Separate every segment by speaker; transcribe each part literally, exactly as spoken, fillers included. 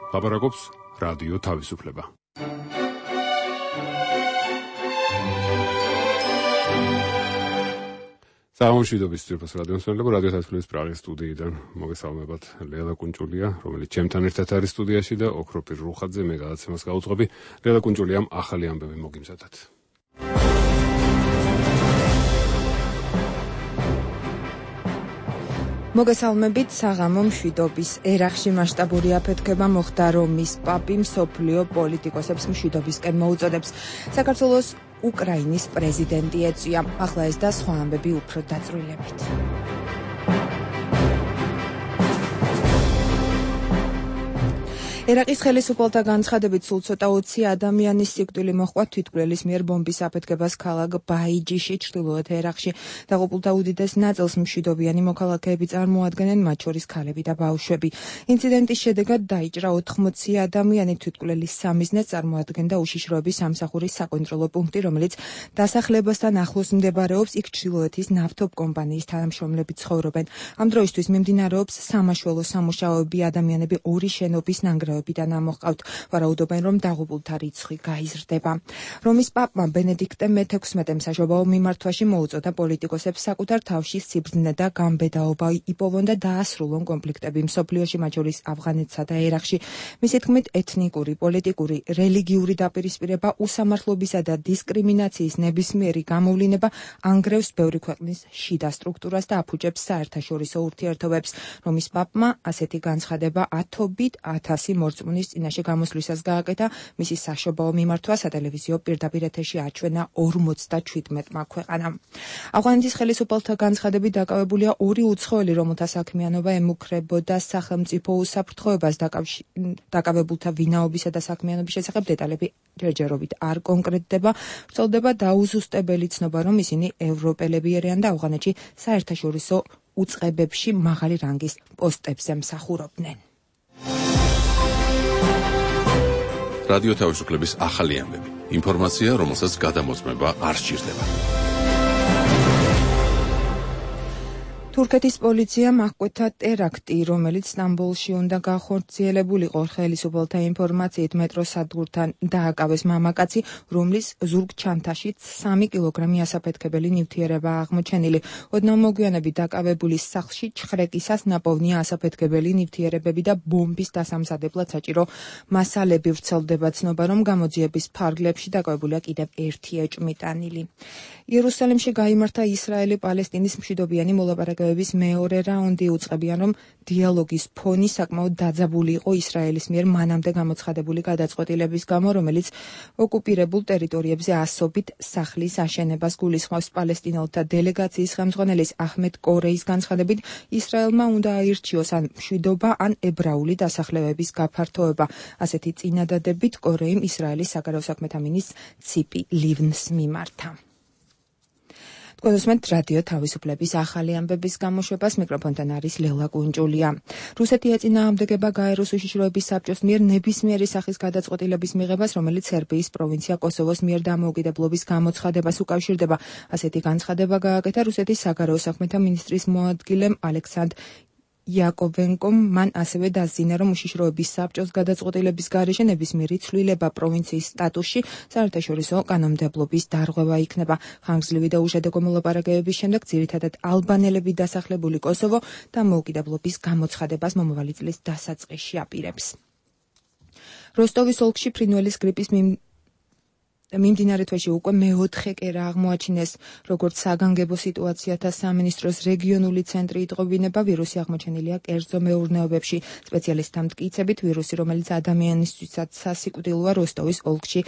Speaker 1: ლაპარაკობს რადიო თავისუფლება. სამშვიდობის ძირფას რადიოსმენელებო, რადიო თავისუფლების პრაღის სტუდიიდან მოგესალმებათ. ლელა კუნჭულია, რომელიც ჩემთან ერთად არის სტუდიაში და ოქროპირ რუხაძე, მე გადაცემას გაუძღვები. ლელა კუნჭულიამ ახალი ამბები მოგიმზადათ.
Speaker 2: მოგესალმებით. საღამო მშვიდობის ერახში მასშტაბური აფეთქება მოხდა, რომის პაპი მსოფლიო პოლიტიკოსებს მშვიდობისკენ მოუწოდებს. საქართველოს უკრაინის პრეზიდენტი ეწვია. ახლა ეს და სხვა ამბები უფრო დაწვრილებით. ერაყის ხელისუფალთა განცხადებით სულ ცოტა ოცი ადამიანის სიკვდილი მოჰყვა თვითმკვლელის მიერ ბომბის აფეთქებას ქალაქ ბაიჯიში, ჩრდილოეთ ერაყში. დაღუპულთა უდიდეს ნაწილს მშვიდობიანი მოქალაქეები წარმოადგენენ, მათ შორის ქალები და ბავშვები. ინციდენტის შედეგად დაიჭრა ოთხმოცი ადამიანი. თვითმკვლელის სამიზნეს წარმოადგენდა უშიშროების სამსახურის საკონტროლო პუნქტი, რომელიც დასახლებასთან ახლოს მდებარეობს. იქ ჩრდილოეთის ნავთობ კომპანიის თანამშრომლები ცხოვრობენ. ამ დროისთვის მიმდინარეობს სამაშველო სამუშაოები. ადამიანები ორი შენობის ნანგრევებიდან ამოჰყავთ. ვარაუდობენ, რომ დაღუპულთა რიცხვი გაიზრდება. რომის პაპმა ბენედიქტე მეთექვსმეტემ საშობაო მიმართვაში მოუწოდა პოლიტიკოსებს საკუთარ თავში სიბრძნე და გამბედაობა იპოვონ და დაასრულონ კონფლიქტები მსოფლიოში, მათ შორის ავღანეთსა და ერაყში. მისი თქმით, ეთნიკური, პოლიტიკური, რელიგიური დაპირისპირება, უსამართლობისა და დისკრიმინაციის ნებისმიერი გამოვლინება ანგრევს ბევრი ქვეყნის შიდა სტრუქტურას და აფუჭებს საერთაშორისო ურთიერთობებს. რომის პაპმა ასეთი განცხადება ათობით ათასი მორწმუნის წინაშე გამოსვლისას გააკეთა. მისი საშობაო მიმართვა სატელევიზიო პირდაპირ ეთერში აჩვენა ორმოცდაჩვიდმეტმა ქვეყანამ. ავღანეთის ხელისუფალთა განცხადებით დაკავებულია ორი უცხოელი, რომელთა საქმიანობა ემუქრებოდა სახელმწიფო უსაფრთხოებას. დაკავებულთა ვინაობისა და საქმიანობის შესახებ დეტალები ჯერჯერობით არ კონკრეტდება. ვრცელდება დაუზუსტებელი ცნობა, რომ ისინი ევროპელები არიან და ავღანეთში საერთაშორისო უწყებებში მაღალი რანგის პოსტებზე მსახურობდნენ.
Speaker 3: რადიო თავისუფლების ახალი ამბები. ინფორმაცია, რომელსაც გადამოწმება არ სჭირდება.
Speaker 2: თურქეთის პოლიციამ აღკვეთა ტერაქტი, რომელიც სტამბოლში უნდა გახორციელებულიყო. ხელისუფალთა ინფორმაციით მეტროს სადგურთან დააკავეს მამაკაცი, რომლის ზურგჩანთაშიც სამი კილოგრამი ასაფეთქებელი ნივთიერება აღმოჩენილი. ოდნავ მოგვიანებით დაკავებულის სახლში ჩხრეკისას ნაპოვნია ასაფეთქებელი ნივთიერებები და ბომბის დასამზადებლად საჭირო მასალები. ვრცელდება ცნობა, რომ გამოძიების ფარგლებში დაკავებულია კიდევ ერთი ეჭვმიტანილი. იერუსალიმში გაიმართა ისრაელი-პალესტინის მშვიდობიანი მოლაპარაკებების მეორე რაუნდი. უწყებიან, რომ დიალოგის ფონი საკმაოდ დაძაბული იყო ისრაელის მიერ მანამდე გამოცხადებული გადაწყვეტილების გამო, რომელიც ოკუპირებულ ტერიტორიებზე ასობით სახლის აშენებას გულისხმობს. პალესტინელთა დელეგაციის ხელმძღვანელის აჰმედ კორეის განცხადებით, ისრაელმა უნდა აირჩიოს ან მშვიდობა, ან ებრაული დასახლებების გაფართოება. ასეთი წინადადებით კორეიმ ისრაელის საგარეო საქმეთა მინისტრს ციპი ლივნს მიმართა. თქვენსმენთ რადიო თავისუფლების ახალი ამბების გამოშვებას. მიკროფონთან არის ლელა კუნჭულია. რუსეთი ეწინააღმდეგება გაეროს უშიშროების საბჭოს მიერ ნებისმიერი სახის გადაწყვეტილების მიღებას, რომელიც სერბიის პროვინცია კოსოვოს მიერ დამოუკიდებლობის გამოცხადებას უკავშირდება. ასეთი განცხადება გააკეთა რუსეთის საგარეო საქმეთა მინისტრის მოადგილემ ალექსანდრ იაკოვენკომ. მან ასევე დასძინა, რომ უშიშროების საბჭოს გადაწყვეტილების გარეშე ნებისმიერი ცვლილება პროვინციის სტატუსში საერთაშორისო კანონმდებლობის დარღვევა იქნება. ხანგრძლივი და უშედეგო მოლაპარაკებების შემდეგ ძირითადად ალბანელები დასახლებული კოსოვო დამოუკიდებლობის გამოცხადებას მომავალი წლის დასაწყისში აპირებს. როსტოვის ოლქში ფრინველის გრიპის მიმდინარე თვეში უკვე მეოთხე კერა აღმოაჩინეს. როგორც საგანგებო სიტუაციათა სამინისტროს რეგიონული ცენტრი იტყობინება, ვირუსი აღმოჩენილია კერძო მეურნეობებში. სპეციალისტთა მტკიცებით, ვირუსი, რომელიც ადამიანისთვისაც სასიკვდილოა, როსტოვის ოლქში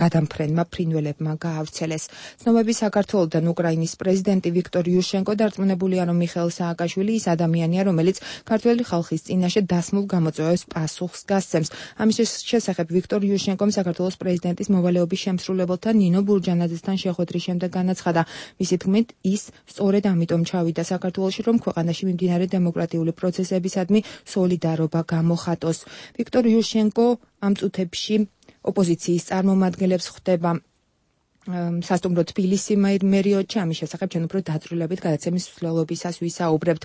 Speaker 2: გადამფრენმა ფრინველებმა გაავრცელეს. ცნობები საქართველოდან უკრაინის პრეზიდენტი ვიქტორ იუშენკო დარწმუნებულია, რომ მიხეილ სააკაშვილი ის ადამიანია, რომელიც ქართველი ხალხის წინაშე დასმულ გამოწვევებს პასუხს გასცემს. ამის შესახებ ვიქტორ იუშენკომ საქართველოს პრეზიდენტის მოვალეობის შემსრულებელთა ნინო ბურჯანაძესთან შეხვედრის შემდეგ განაცხადა. მისი თქმით, ის სწორედ ამიტომ ჩავიდა საქართველოში, რომ ქვეყანაში მიმდინარე დემოკრატიული პროცესებისადმი სოლიდარობა გამოხატოს. ვიქტორ იუშენკო ამ წუთებში ოპოზიციის წარმომადგენლებს ხვდება. სასტუმრო თბილისი მერიოდში. ამის შესახებ ჩვენ უფრო დაწვრილებით გადაცემის მსვლელობისას ვისაუბრებთ.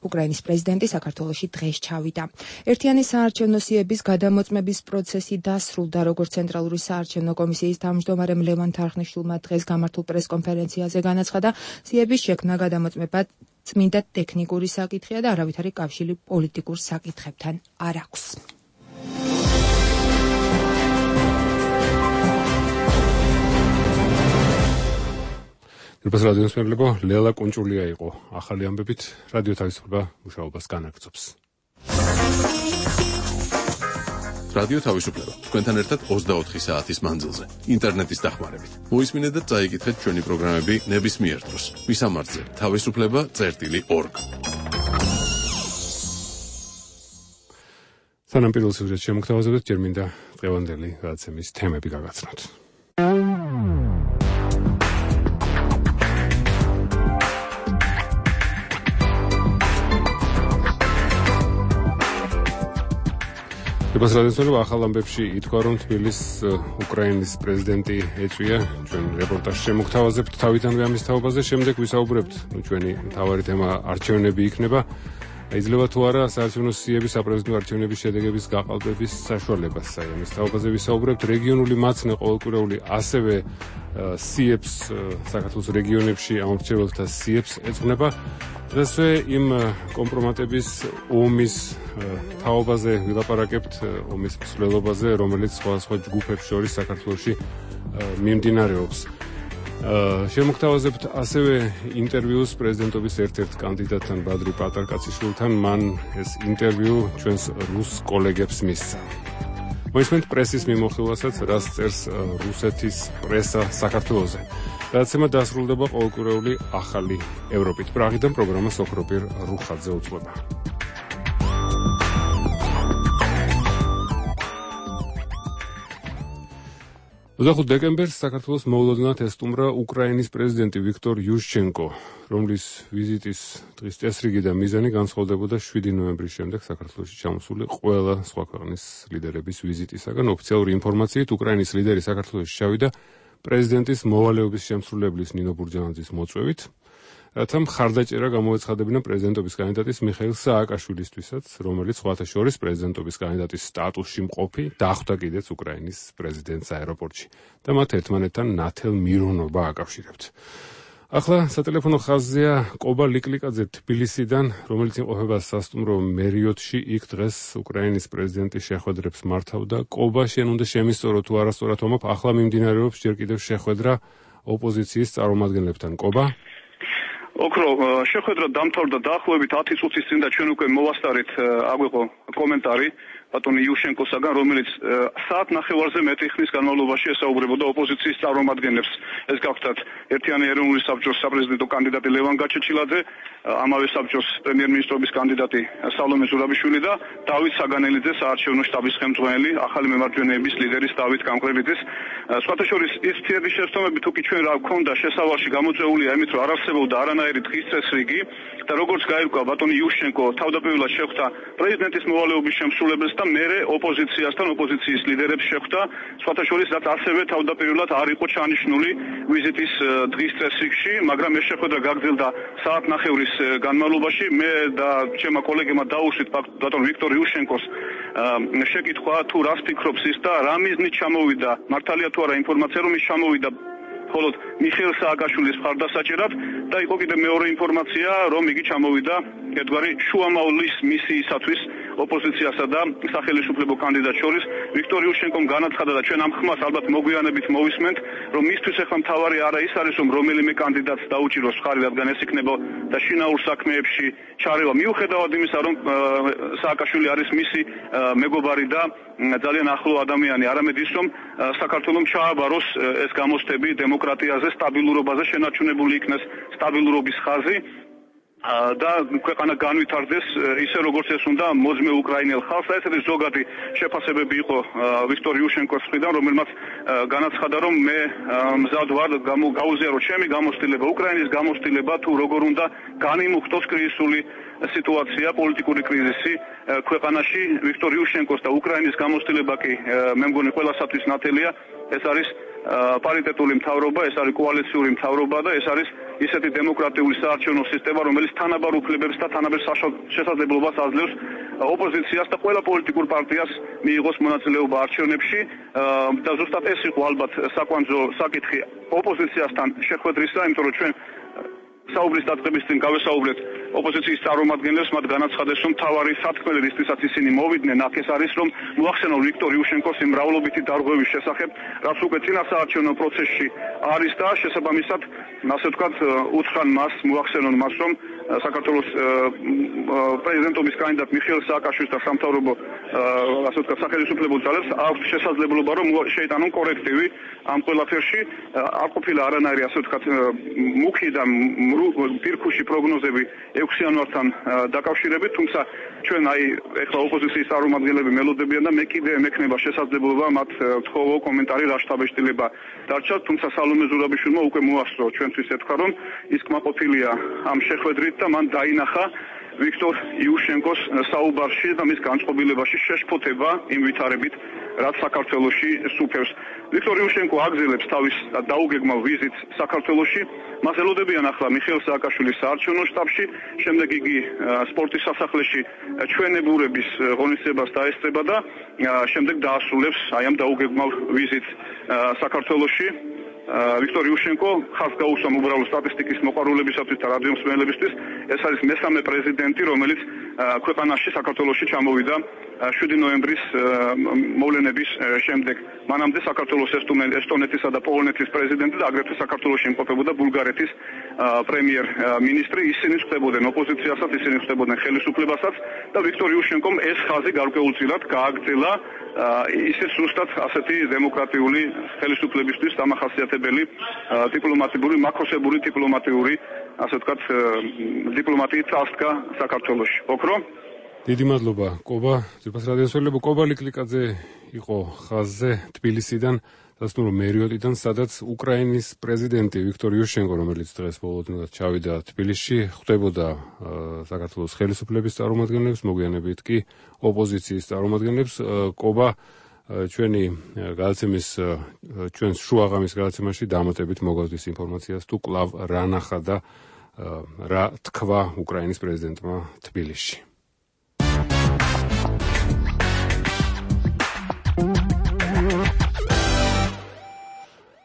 Speaker 2: უკრაინის პრეზიდენტი საქართველოში დღეს ჩავიდა. ერთიანი საარჩევნო სიების გადამოწმების პროცესი დასრულდა, როგორც ცენტრალური საარჩევნო კომისიის თავმჯდომარემ ლევან თარხნიშვილმა დღეს გამართულ პრესკონფერენციაზე განაცხადა, სიების შექმნა გადამოწმება წმინდა ტექნიკური საკითხია და არავითარი კავშირი პოლიტიკურ საკითხებთან არ აქვს.Pas
Speaker 1: რადიოს მეგობრებო, ლელა კუნჭულია იყო ახალი ამბებით, რადიო თავისუფლება მუშაობას განაგრძობს.
Speaker 3: რადიო თავისუფლება თქვენთან ერთად ოცდაოთხი საათის მანძილზე, ინტერნეტის დახმარებით. მოისმინეთ და წაიკითხეთ ჩვენი პროგრამები ნებისმიერ დროს. მისამართზე თავისუფლება წერტილი ორგ.
Speaker 1: სანამ პირველ სიუჟეტს შემოგთავაზებთ, ჯერ მინდა დღევანდელი გადაცემის თემები გაგაცნოთ. Pas რადიოსმენელო ახალ ამბებში ითქვა, რომ თბილის უკრაინის პრეზიდენტი ეწვია. ჩვენ რეპორტაჟს შემოგთავაზებთ თავიდანვე ამის თაობაზე, შემდეგ ვისაუბრებთ. ჩვენი მთავარი თემა არჩევნები იქნება. იძლევა თუ არა საარჩევნო სიების საპრეზიდენტო არჩევნების შედეგების გაყალბების საშუალებას. აი ამის თაობაზე ვისაუბრებთ. რეგიონული მაცნე ყოველკვირეული ასევე სიებს საქართველოს რეგიონებში ამორჩეველთა სიებს ეძღვნება. ასე იმ კომპრომატების ომის თაობაზე ვილაპარაკებთ, ომის მსვლელობაზე, რომელიც სხვადასხვა ჯგუფებს შორის საქართველოში მიმდინარეობს. შემოგთავაზებთ ასევე ინტერვიუს პრეზიდენტობის ერთ-ერთ კანდიდატთან ბადრი პატარკაციშვილთან. მან ეს ინტერვიუ ჩვენს რუს კოლეგებს მისცა. მოისმენთ პრესის მიმოხილვასაც, რაც წერს რუსეთის პრესა საქართველოზე. გადაცემა დასრულდება ყოველკვირეული ახალი ევროპით. პრაღიდან პროგრამა სოფროპირ რუხაძე უძღვება. ოცდახუთი დეკემბერს საქართველოს მოულოდნელად ესტუმრა უკრაინის პრეზიდენტი ვიქტორ იუშჩენკო, რომლის ვიზიტის დღის წესრიგი და მიზანი განსხვავდებოდა შვიდი ნოემბრის შემდეგ საქართველოში ჩამოსული ყველა სხვა ქვეყნის ლიდერების ვიზიტისაგან. ოფიციალური ინფორმაციით უკრაინის ლიდერი საქართველოში ჩავიდა პრეზიდენტის მოვალეობის შემსრულებლის ნინო ბურჯანაძის მოწვევით, რათა მხარდაჭერა გამოეცხადებინა პრეზიდენტობის კანდიდატის მიხეილ სააკაშვილისთვისაც, რომელიც სხვათა შორის პრეზიდენტობის კანდიდატის სტატუსში მყოფი დახვდა კიდეც უკრაინის პრეზიდენტს აეროპორტში და მათ ერთმანეთთან ნათელ მირონობა აკავშირებთ. ახლა სატელეფონო ხაზზეა კობა ლიკლიკაძე თბილისიდან, რომელიც იმყოფება სასტუმრო მერიოდში, იქ დღეს უკრაინის პრეზიდენტი შეხვედრებს მართავდა. კობა, შენ უნდა შემისწორო თუ არასწორად ვამბობ, ახლა მიმდინარეობს ჯერ კიდევ შეხვედრა ოპოზიციის წარმომადგენლებთან. კობა?
Speaker 4: ოქრო, შეხვედრა დამთავრდა დაახლოებით ათი წუთის წინ და ჩვენ უკვე მოვასწარეთ აგვიყო კომენტარი ბატონი იუშენკოსაგან, რომელიც საათ ნახევარზე მეტი ხნის განმავლობაში ესაუბრებოდა ოპოზიციის წარმომადგენლებს. ეს გახდათ ერთიანი ეროვნული საბჭოს საპრეზიდენტო კანდიდატი ლევან გაჩეჩილაძე, ამავე საბჭოს პრემიერ-მინისტრობის კანდიდატი სალომე ზურაბიშვილი და დავით საგანელიძე, საარჩევნო შტაბის ხელმძღვანელი, ახალი მემარჯვენეების ლიდერის დავით კანკრელიძის. სხვათა შორის ის ფთიების შეცდომები თუ კი ჩვენ რა გქონდა შესავალში გამოწვეულია იმით, რომ არ არსებობდა არანაირი დღის წესრიგი და როგორც გაირკვა ბატონი იუშენკო თავდაპირველად შეხვდა პრეზიდენტის მოვალეობის შემსრულებელს და მერე ოპოზიციასთან, ოპოზიციის ლიდერებს შეხვდა, სხვათა შორის რაც ასევე თავდაპირველად არ იყო ჩანიშნული ვიზიტის დღის წესრიგში, მაგრამ ეს შეხვედრა გაგრძელდა საათნახევრის განმავლობაში. მე და ჩემმა კოლეგებმა დაუშვით ბატონ ვიქტორ იუშენკოს შეკითხვა თუ რას ფიქრობს ის და რა მიზნით ჩამოვიდა, მართალია თუ არა ინფორმაცია, რომ ის ჩამოვიდა მხოლოდ მიხეილ სააკაშვილის მხარდასაჭერად და იყო კიდევ მეორე ინფორმაცია, რომ იგი ჩამოვიდა ერთგვარი შუამავლის მისიისათვის ოპოზიციასა და სახელმწიფო კანდიდატ შორის. ვიქტორ იუშენკომ განაცხადა და ჩვენ ამ ხმას ალბათ მოგვიანებით მოვისმენთ, რომ მისთვის ახლა მთავარი არა ის არის, რომ რომელიმე კანდიდატს დაუჭიროს ხარი, რადგან ეს იქნება და შინაურ საქმეებში ჩარევა. მიუხედავად იმისა, რომ სააკაშვილი არის მისი მეგობარი და ძალიან ახლო ადამიანი, არამედ ის, რომ საქართველოს ჩააბაროს ეს გამოცდები დემოკრატიაზე, სტაბილურობაზე, შენარჩუნებული იქნეს სტაბილურობის ხაზი და ქვეყანა განვითარდეს ისე როგორც ეს უნდა მოძმე უკრაინელ ხალხს. ესეთი ზოგადი შეფასებები იყო ვიქტორ იუშენკოს მხრიდან, რომელმაც განაცხადა, რომ მე მზად ვარ გაუზიარო ჩემი გამოცდილება, უკრაინის გამოცდილება თუ როგორ უნდა განიმუხტოს კრიზისული სიტუაცია, პოლიტიკური კრიზისი ქვეყანაში. ვიქტორ იუშენკოს და უკრაინის გამოცდილება კი მე მგონი ყველასათვის ნათელია. ეს არის პარიტეტული მთავრობა, ეს არის კოალიციური მთავრობა და ეს არის ისეთი დემოკრატიული საარჩევნო სისტემა, რომელიც თანაბარ უფლებებს და თანაბარ შესაძლებლობას აძლევს ოპოზიციას და ყველა პოლიტიკურ პარტიას მიიღოს მონაწილეობა არჩევნებში და ზუსტად ეს იყო ალბათ საკვანძო საკითხი ოპოზიციასთან შეხვედრისა, იმიტომ რომ ჩვენ საუბრის დაწყების წინ გავესაუბრეთ ოპოზიციის წარმომადგენლებს, მათ განაცხადეს, რომ თავარი სათქმელი რისთვისაც ისინი მოვიდნენ, აქ ეს არის, რომ მოახსენონ ვიქტორ იუშენკოს იმ მრავლობითი დარღვევის შესახებ, რაც უკვე წინასაარჩევნო პროცესში არის და შესაბამისად, ასე ვთქვათ, უთხრან მას, მოახსენონ მას, რომ საქართველოს პრეზიდენტობის კანდიდატ მიხეილ სააკაშვილის და სამთავრობო ასე ვთქვათ, სახელმწიფო ძალებს აქვს შესაძლებლობა, რომ შეიტანონ კორექტივი ამ ყველაფერში, არ ყოფილა არანაირი ასე ვთქვათ, მუქი და პირქუში პროგნოზები ექვსი იანვართან დაკავშირებით, თუმცა ჩვენ აი ეხლა ოპოზიციის წარმომადგენლები მელოდებიან და მე კიდე მექნება შესაძლებლობა მათ თხოვო კომენტარი რა შთაბეჭდილება დარჩათ, თუმცა სალომე ზურაბიშვილმა უკვე მოასწრო ჩვენთვის ეთქვა, რომ ის კმაყოფილია ამ შეხვედრით და მან დაინახა ვიქტორ იუშენკოს საუბარში და მის განწყობილებაში შეშფოთება იმ ვითარებით, რაც საქართველოში სუფევს. ვიქტორ იუშენკო აგზელებს თავის დაუგეგმავ ვიზიტს საქართველოში. მას ელოდებიან ახლა მიხეილ სააკაშვილის საარჩევნო შტაბში, შემდეგ იგი სპორტის სასახლეში ჩვენებურების ღონისძიებას დაესწრება და შემდეგ დაასრულებს აი ამ დაუგეგმავ ვიზიტს საქართველოში. ვიქტორ იუშენკო ხალხს გაუსვამ უბრალო სტატისტიკის მოყვარულებისათვის და რადიო მსმენელებისთვის, ეს არის მესამე პრეზიდენტი, რომელიც ქვეყანაში საქართველოში ჩამოვიდა შვიდი ნოემბრის მოვლენების შემდეგ. მანამდე საქართველოს ესტონეთისა და პოლონეთის პრეზიდენტი და აგრეთვე საქართველოში იმყოფებოდა ბულგარეთის პრემიერ-მინისტრი. ისინი ხდებოდნენ ოპოზიციასაც, ისინი ხდებოდნენ ხელისუფლებასაც და ვიქტორ იუშენკომ ეს ხაზი გარკვეულწილად გააგრძელა ისიც ზუსტად ასეთი დემოკრატიული ხელისუფლებისთვის დამახასიათებელი დიპლომატიური, მაქროსებური დიპლომატიური, ასე ვთქვათ, დიპლომატიის წასდგა საქართველოში. ოქრო?
Speaker 1: დიდი მადლობა, კობა. ძვირფას რადიოსმენელო, კობა ლიკლიკაძე იყო ხაზზე თბილისიდან, დასტუმრო მერიოტიდან, სადაც უკრაინის პრეზიდენტი ვიქტორ იუშენკო, რომელიც დღეს ბოლოდნად ჩავიდა თბილისში, ხვდებოდა საქართველოს ხელისუფლების წარმომადგენლებს, მოგვიანებით კი ოპოზიციის წარმომადგენლებს. კობა, ჩვენი გადაცემის ჩვენს შუაღამის გადაცემაში დამატებით მოგავდეს ინფორმაციას, თუ კვლავ რა ნახა და რა თქვა უკრაინის პრეზიდენტმა თბილისში.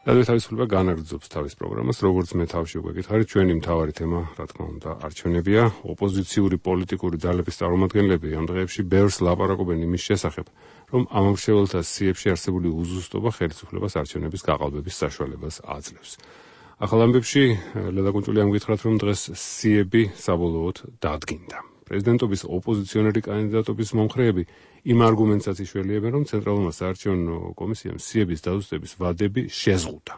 Speaker 1: რადიო თავისუფლება განაგრძობს თავის პროგრამას, როგორც მე თავში უკვე გითხარით, ჩვენი მთავარი თემა, რა თქმა უნდა, არჩევნებია. ოპოზიციური პოლიტიკური ძალების წარმომადგენლები ამ დღეებში ბევრს ლაპარაკობენ იმის შესახებ, რომ ამომრჩეველთა სიებში არსებული უზუსტობა ხელისუფლებას არჩევნების გაყალბების საშუალებას აძლევს. ახალ ამბებში ლელა კუნჭულიამ გითხრათ, რომ დღეს სიები საბოლოოდ დადგინდა. პრეზიდენტობის ოპოზიციონერი კანდიდატობის მომხრეები იმ არგუმენტსაც იშველიებენ, რომ ცენტრალურმა საარჩევნო კომისიამ სიების დაზუსტების ვადები შეზღუდა.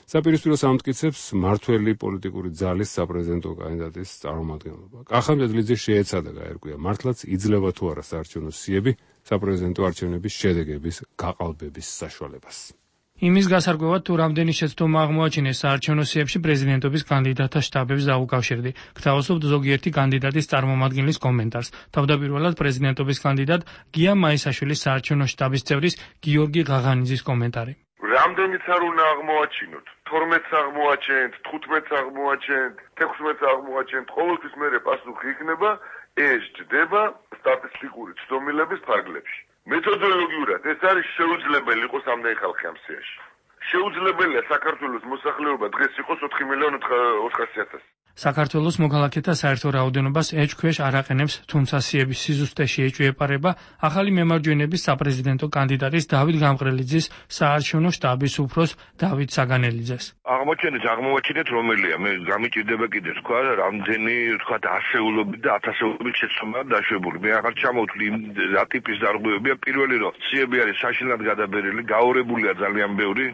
Speaker 1: საპირისპირო სამტკიცებს მართველი პოლიტიკური ძალის საპრეზიდენტო კანდიდატის წარმომადგენლობა. კახა მედლიძე შეეცადა გაერკვია, მართლაც იძლევა თუ არა საარჩევნო სიები საპრეზიდენტო არჩევნების შედეგების გაყალბების საშუალებას.
Speaker 5: იმის გასარკვევად თუ რამდენი შეცდომა აღმოაჩინეს საარჩევნო სიებში პრეზიდენტობის კანდიდატთა შტაბებს დაუკავშირდი. გთავაზობთ ზოგიერთი კანდიდატის წარმომადგენლის კომენტარს. თავდაპირველად პრეზიდენტობის კანდიდატ გია მაისაშვილის საარჩევნო შტაბის წევრის გიორგი ღაღანიძის კომენტარი.
Speaker 6: რამდენიც არ უნდა აღმოაჩინოთ, თორმეტს აღმოაჩენთ, თხუთმეტს აღმოაჩენთ, თექვსმეტს აღმოაჩენთ, ყოველთვის მერე პასუხი იქნება, ეს ჯდება სტატისტიკური ცდომილების ფარგლებში. მეთოდოლოგიურად ეს არის შეუძლებელი იყოს ამდენი ხალხი ამ სიაში. შეუძლებელია საქართველოს მოსახლეობა დღეს იყოს ოთხი მილიონი ოთხასი ათასი.
Speaker 5: საქართველოს მოქალაქეთა საერთო რაოდენობას ეჭქვეშ არ აყენებს, თუმცა სიების სიზუსტეში ეჭვიეპარება ახალი მემარჯვენების საპრეზიდენტო კანდიდატის დავით გამყრელიძის საარჩევნო შტაბის უფროს დავით საგანელიძეს.
Speaker 6: აღმოჩენეთ, აღმოაჩინეთ რომელია, მე გამიჭირდება კიდე თქვა, რამდენი თქვა ასეულობით და ათასეულობით შეცდომაა დაშვებული. მე აღარ ჩამოვთვლი რა ტიპის დარღვევებია, პირველი რომ სიები არის საშინლად გადაბერილი, გაორებულია ძალიან ბევრი.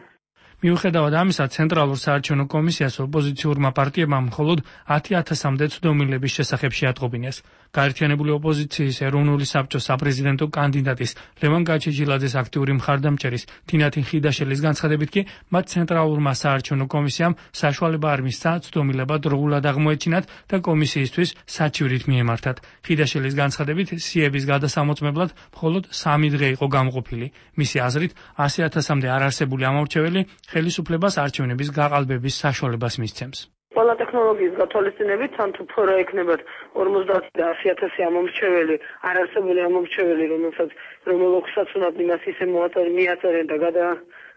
Speaker 5: მიუხედავად ამისა, ცენტრალურ საარჩევნო კომისიას ოპოზიციურმა პარტიებმა მხოლოდ ათი ათასამდე ცდომილების შესახებ შეატყობინეს. გაერთიანებული ოპოზიციის ეროვნული საბჭოს საპრეზიდენტო კანდიდატის ლევან გაჩეჩილაძეს აქტიური მხარდამჭერის თინათინ ხიდაშელის განცხადებით კი მათ ცენტრალურმა საარჩევნო კომისიამ საშუალება არ მისცა ცდომილება დროულად აღმოეჩინათ და კომისიისთვის საჩივრით მიემართათ. ხიდაშელის განცხადებით სიების გადასამოწმებლად მხოლოდ სამი დღე იყო გამოყოფილი. მისი აზრით ასი ათასამდე არარსებული ამორჩეველი ხელისუფლებას არჩევნების გაყალბების საშუალებას მისცემს.
Speaker 7: ყველა ტექნოლოგიის გათვალისწინებით თან თუ ფორა ექნებათ ორმოცდაათი და ასი ათასი ამომრჩეველი, არარსებული ამომრჩეველი, რომელსაც რომელსაც უნდათ იმას ისე მიაწერენ და გადა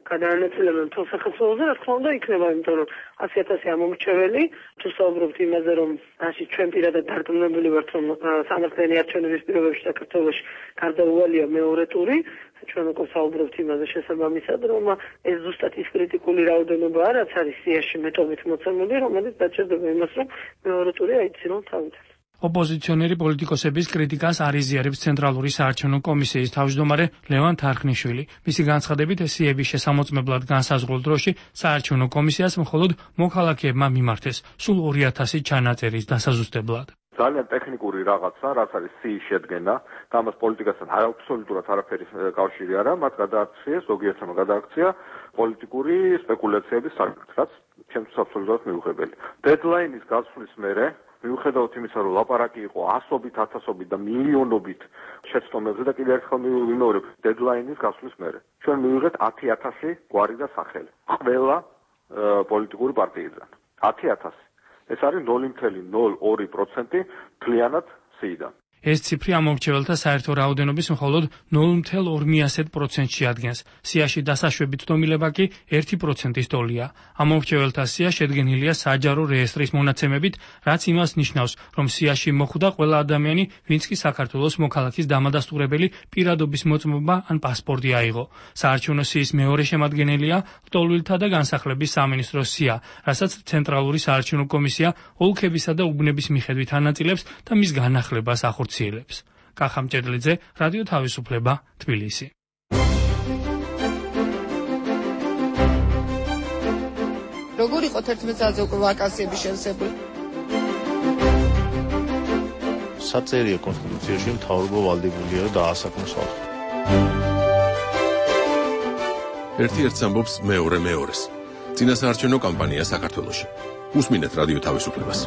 Speaker 7: გადაანაწილებენ თელ სახელმწიფოზე, რა თქმა უნდა იქნება, იმიტომ რომ ასი ათასი ამომრჩეველი, თუ საუბრობთ იმაზე, რომ ასე ჩვენ პირადად დარწმუნებული ვართ, რომ სამართლიანი არჩევნების პირობებში საქართველოში გარდაუვალია მეორე ტური, ჩვენ უკვე საუბრობთ იმაზე შესაბამისად, რომ ეს ზუსტად ის კრიტიკული რაოდენობაა, რაც არის სიაში მეტობით მოცემული, რომელიც დაჭერდება იმას, რომ მეორე ტური აიცინონ თავიდან.
Speaker 5: ოპოზიციონერი პოლიტიკოსების კრიტიკას არ იზიარებს ცენტრალური საარჩევნო კომისიის თავმჯდომარე ლევან თარხნიშვილი. მისი განცხადებით, სიების შესამოწმებლად განსაზღვრულ დროში საარჩევნო კომისიას მხოლოდ მოქალაქეებმა მიმართეს, სულ ორი ათასი ჩანაწერის დასაზუსტებლად.
Speaker 8: ძალიან ტექნიკური რაღაცა, რაც არის სიის შედგენა, და ამას პოლიტიკასთან აბსოლუტურად არაფერი კავშირი არა, მათ გადააქციეს, ზოგიერთმა გადააქცია პოლიტიკური სპეკულაციების საკითხ, რაც ჩემთვის აბსოლუტურად მიუღებელი. დედლაინის გასვლის მერე მიუხედავად იმისა, რომ ლაპარაკი იყო ასობით, ათასობით და მილიონობით შეცდომებზე და კიდევ ერთხელ ვიმეორებ, დედლაინის გასვლის მერე ჩვენ მივიღეთ ათი ათასი გვარი და სახელი ყველა პოლიტიკური პარტიიდან. ათი ათასი. ეს არის ნული ფاصლე ნული ორი პროცენტი მთლიანად სიიდან.
Speaker 5: ეს ციფრი ამომრჩეველთა საერთო რაოდენობის მხოლოდ ნული ფაصლე ორი პროცენტში ადგენს. სიაში დასაშვები ცდომილება კი ერთი პროცენტის ტოლია. ამომრჩეველთა სია შედგენილია საჯარო რეესტრის მონაცემებით, რაც იმას ნიშნავს, რომ სიაში მოხვდა ყველა ადამიანი, ვინც კი საქართველოს მოქალაქის დამადასტურებელი პირადობის მოწმობა ან პასპორტი აიღო. საარჩევნო სიის მეორე შემადგენელია ლტოლვილთა და განსახლების სამინისტროს სია, რასაც ცენტრალური საარჩევნო კომისია ოლქებისა და უბნების მიხედვით ანაწილებს და მის განახლებას ახორციელებს. კახამ ჭედლიძე, რადიო თავისუფლება, თბილისი.
Speaker 2: როგორ იყო თერთმეტ წელზე უკვე ვაკანსიების შევსებული?
Speaker 9: საწერია კონსტიტუციაში მთავრობა ვალდებულია და დაასაკმოსავთ.
Speaker 3: ერთი ერთს ამბობს მეორე მეორეს. წინასაარჩევნო კამპანია საქართველოში. უსმინეთ რადიო თავისუფლებას.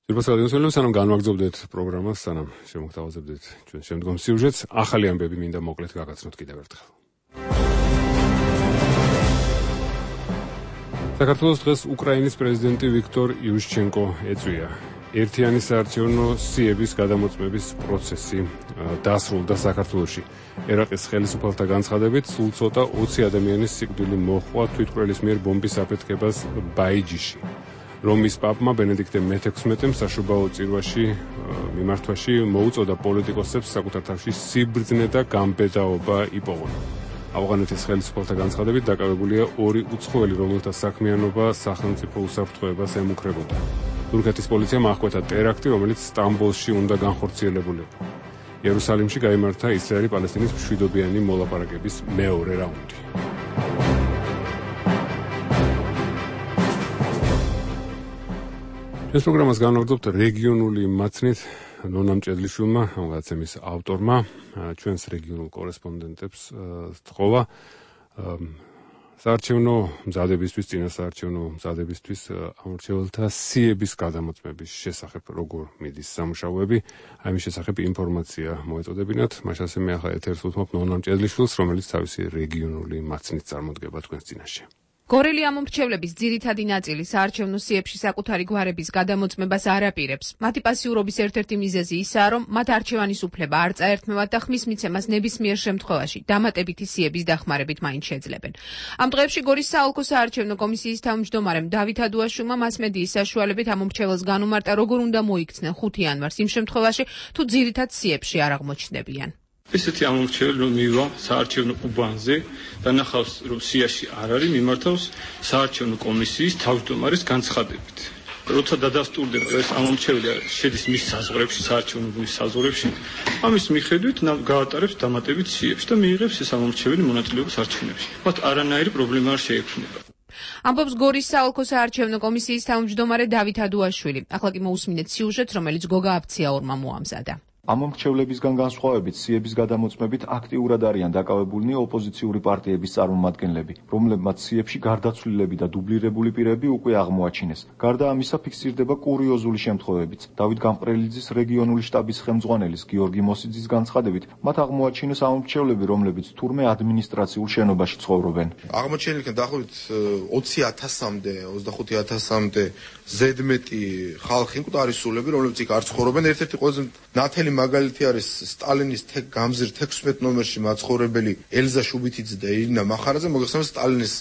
Speaker 1: ძირფას რადიოსმენელო, სანამ განვაგრძობდეთ პროგრამას, სანამ შემოგთავაზებდეთ ჩვენ შემდგომ სიუჟეტს, ახალი ამბები მინდა მოკლედ გაგაცნოთ კიდევ ერთხელ. საქართველოს დღეს უკრაინის პრეზიდენტი ვიქტორ იუშჩენკო ეწვია. ერთიანი საარჩევნო სიების გადამოწმების პროცესი დასრულდა საქართველოში. ერაყის ხელისუფალთა განცხადებით, სულ ცოტა ოცი ადამიანის სიკვდილი მოჰყვა თვითმკვლელის მიერ ბომბის აფეთქებას ბაიჯიში. რომის პაპმა ბენედიქტე მეთექვსმეტემ საშობაო წირვაში მიმართვაში მოუწოდა პოლიტიკოსებს საკუთარ თავში სიბრძნე და გამბედაობა იპოვონ. ავღანეთის ხელისუფალთა განცხადებით დაკავებულია ორი უცხოელი, რომელთა საქმიანობა სახელმწიფო უსაფრთხოებას ემუქრებოდა. თურქეთის პოლიციამ აღკვეთა ტერაქტი, რომელიც სტამბოლში უნდა განხორციელებულიყო. იერუსალიმში გაიმართა ისრაელი-პალესტინის მშვიდობიანი მოლაპარაკების მეორე რაუნდი. ეს პროგრამას განვაგრძობთ რეგიონული მაცნით ნონამ ჭედლიშვილმა, ამ გადაცემის ავტორმა, ჩვენს რეგიონულ კორესპონდენტებს თხოვა საარჩევნო მზადებისთვის, წინასაარჩევნო მზადებისთვის ამორჩეველთა სიების გადამოწმების შესახებ როგორ მიდის სამუშაოები, აი მის შესახებ ინფორმაცია მოეწოდებინათ. მაშასე მე ახლა ეთერს უთმობ ნონამ ჭედლიშვილს, რომელიც თავისი რეგიონული მაცნით წარმოდგება თქვენს წინაშე.
Speaker 10: გორელი ამომრჩევლების ძირითადი ნაწილი საარჩევნო სიებში საკუთარი გვარების გადამოწმებას არ აპირებს. მათი პასიურობის ერთ-ერთი მიზეზი ისაა, რომ მათ არჩევანის უფლება არ წაერთმევათ და ხმის მიცემას ნებისმიერ შემთხვევაში დამატებითი სიების დახმარებით მაინც შეძლებენ. ამ დღეებში გორის საოლქო საარჩევნო კომისიის თავმჯდომარემ დავით ადუაშვილმა მასმედიის საშუალებით ამომრჩეველს განუმარტა, როგორ უნდა მოიქცნენ ხუთი იანვარს იმ შემთხვევაში, თუ ძირითად სიებში არ აღმოჩნდებიან.
Speaker 11: ესეთი ამომრჩეველი რომ მივა საარჩევნო უბანზე და ნახავს რომ სიაში არ არის, მიმართავს საარჩევნო კომისიის თავმჯდომარის განცხადებით. როცა დადასტურდება ეს ამომრჩეველი შედის მის საზღვრებში, საარჩევნო უბნის საზღვრებში, ამის მიხედვით გაატარებს დამატებით სიებში და მიიღებს ეს ამომრჩეველი მონაწილეობას არჩევნებში. მათ არანაირი პრობლემა არ შეექმნება.
Speaker 10: ამბობს გორის საოლქო საარჩევნო კომისიის თავმჯდომარე დავით ადუაშვილი. ახლა კი მოусმინეთ სიუჟეტს, რომელიც გოგა აფციაურმა მოამზადა.
Speaker 12: ამომრჩევლებისგან განსხვავებით სიების გადამოწმებით აქტიურად არიან დაკავებულნი ოპოზიციური პარტიების წარმომადგენლები, რომლებმაც სიებში გარდაცვლილები და დუბლირებული პირები უკვე აღმოაჩინეს. გარდა ამისა ფიქსირდება კურიოზული შემთხვევებიც. დავით გამყრელიძის რეგიონული შტაბის ხელმძღვანელის გიორგი მოსიძის განცხადებით, მათ აღმოაჩინეს ამომრჩევლები, რომლებიც თურმე ადმინისტრაციულ შენობაში ცხოვრობენ.
Speaker 13: აღმოჩენილ დაახლოებით ოცი ათასამდე, ოცდახუთი ათასამდე ზედმეტი ხალხი მკვდარისულები, რომლებიც იქ არ ცხოვრობენ. ერთ-ერთი ყველაზე ნათელი მაგალითი არის სტალინის გამზირ თექვსმეტ ნომერში მაცხოვრებელი ელზა შუბითიძე და ირინა მახარაძე. მოგეხსენებათ, სტალინის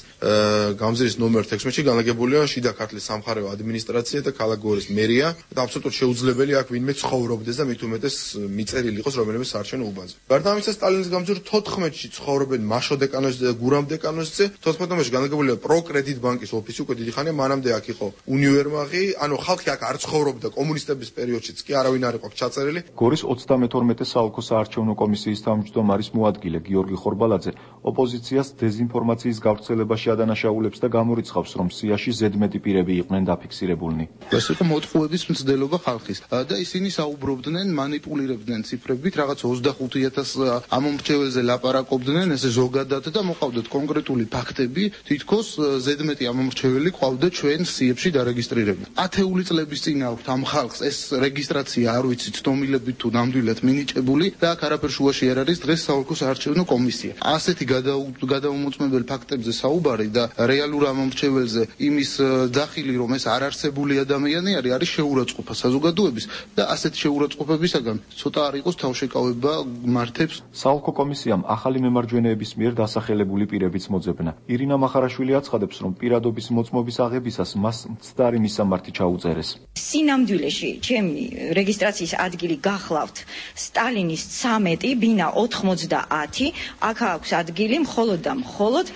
Speaker 13: გამზირის ნომერ თექვსმეტში განლაგებულია შიდა ქართლის სამხარეო ადმინისტრაცია და ქალაქ გორის მერია და აბსოლუტურად შეუძლებელი აქ ვინმე ცხოვრობდეს და მით უმეტეს მიწერილი იყოს რომელიმე საარჩევნო უბანზე. გარდა ამისა, სტალინის გამზირ თოთხმეტში ცხოვრობენ მაშო დეკანოზზე და გურამ დეკანოზზე. თოთხმეტ ნომერში განლაგებულია პროკრედიტ ბანკის ოფისი, უკვე დიდი ხანია, მანამდე აქ იყო უნივერმაღი, ანუ ხალხი აქ არ ცხოვრობდა კომუნისტების პერიოდშიც კი არავინ არ იყო აქ ჩაწერილი.
Speaker 12: გორის ოცდამეთორმეტე საოლქო საარჩევნო კომისიის თავმჯდომარის მოადგილე გიორგი ხორბალაძე ოპოზიციას დეზინფორმაციის გავრცელებაში ადანაშაულებს და გამორიცხავს, რომ სიაში ზედმეტი პირები იყვნენ დაფიქსირებულნი.
Speaker 14: ეს იყო მოტყუების მცდელობა ხალხის და ისინი საუბრობდნენ, манипуლირებდნენ ციფრებით, რაღაც ოცდახუთი ათას ამომრჩეველზე ლაპარაკობდნენ, ესე ზოგადად და მოყავდათ კონკრეტული ფაქტები, თითქოს ზედმეტი ამომრჩეველი ყავდა ჩვენ სიებში დარეგისტრირებული. ათეული წლების წინ აქვთ ამ ხალხს ეს რეგისტრაცია არ ვიცი ცდომილებით თუ ნამდვილად მინიჭებული და აქ არაფერ შუაში არ არის დღეს საოლქო საარჩევნო კომისია. ასეთი გადაუმოწმებელი ფაქტებზე საუბარი და რეალურ ამომრჩეველზე იმის დახილი, რომ ეს არ არსებული ადამიანი არის, არის შეურაცხყოფა საზოგადოების და ასეთი შეურაცხყოფებისაგან ცოტა არ იყოს თავშეკავება მართებს.
Speaker 12: საოლქო კომისიამ ახალი მემარჯვენეების მიერ დასახელებული პირებიც მოძებნა. ირინა მახარაშვილი აცხადებს, რომ პირადობის მოწმობის აღებისას მას მცდარი მისამართი ჩაუწერეს.
Speaker 15: სინამდვილეში ჩემი რეგისტრაციის ადგილი გახლავთ სტალინის ცამეტი ბინა ოთხმოცდაათი, აქ აქვს ადგილი მხოლოდ და მხოლოდ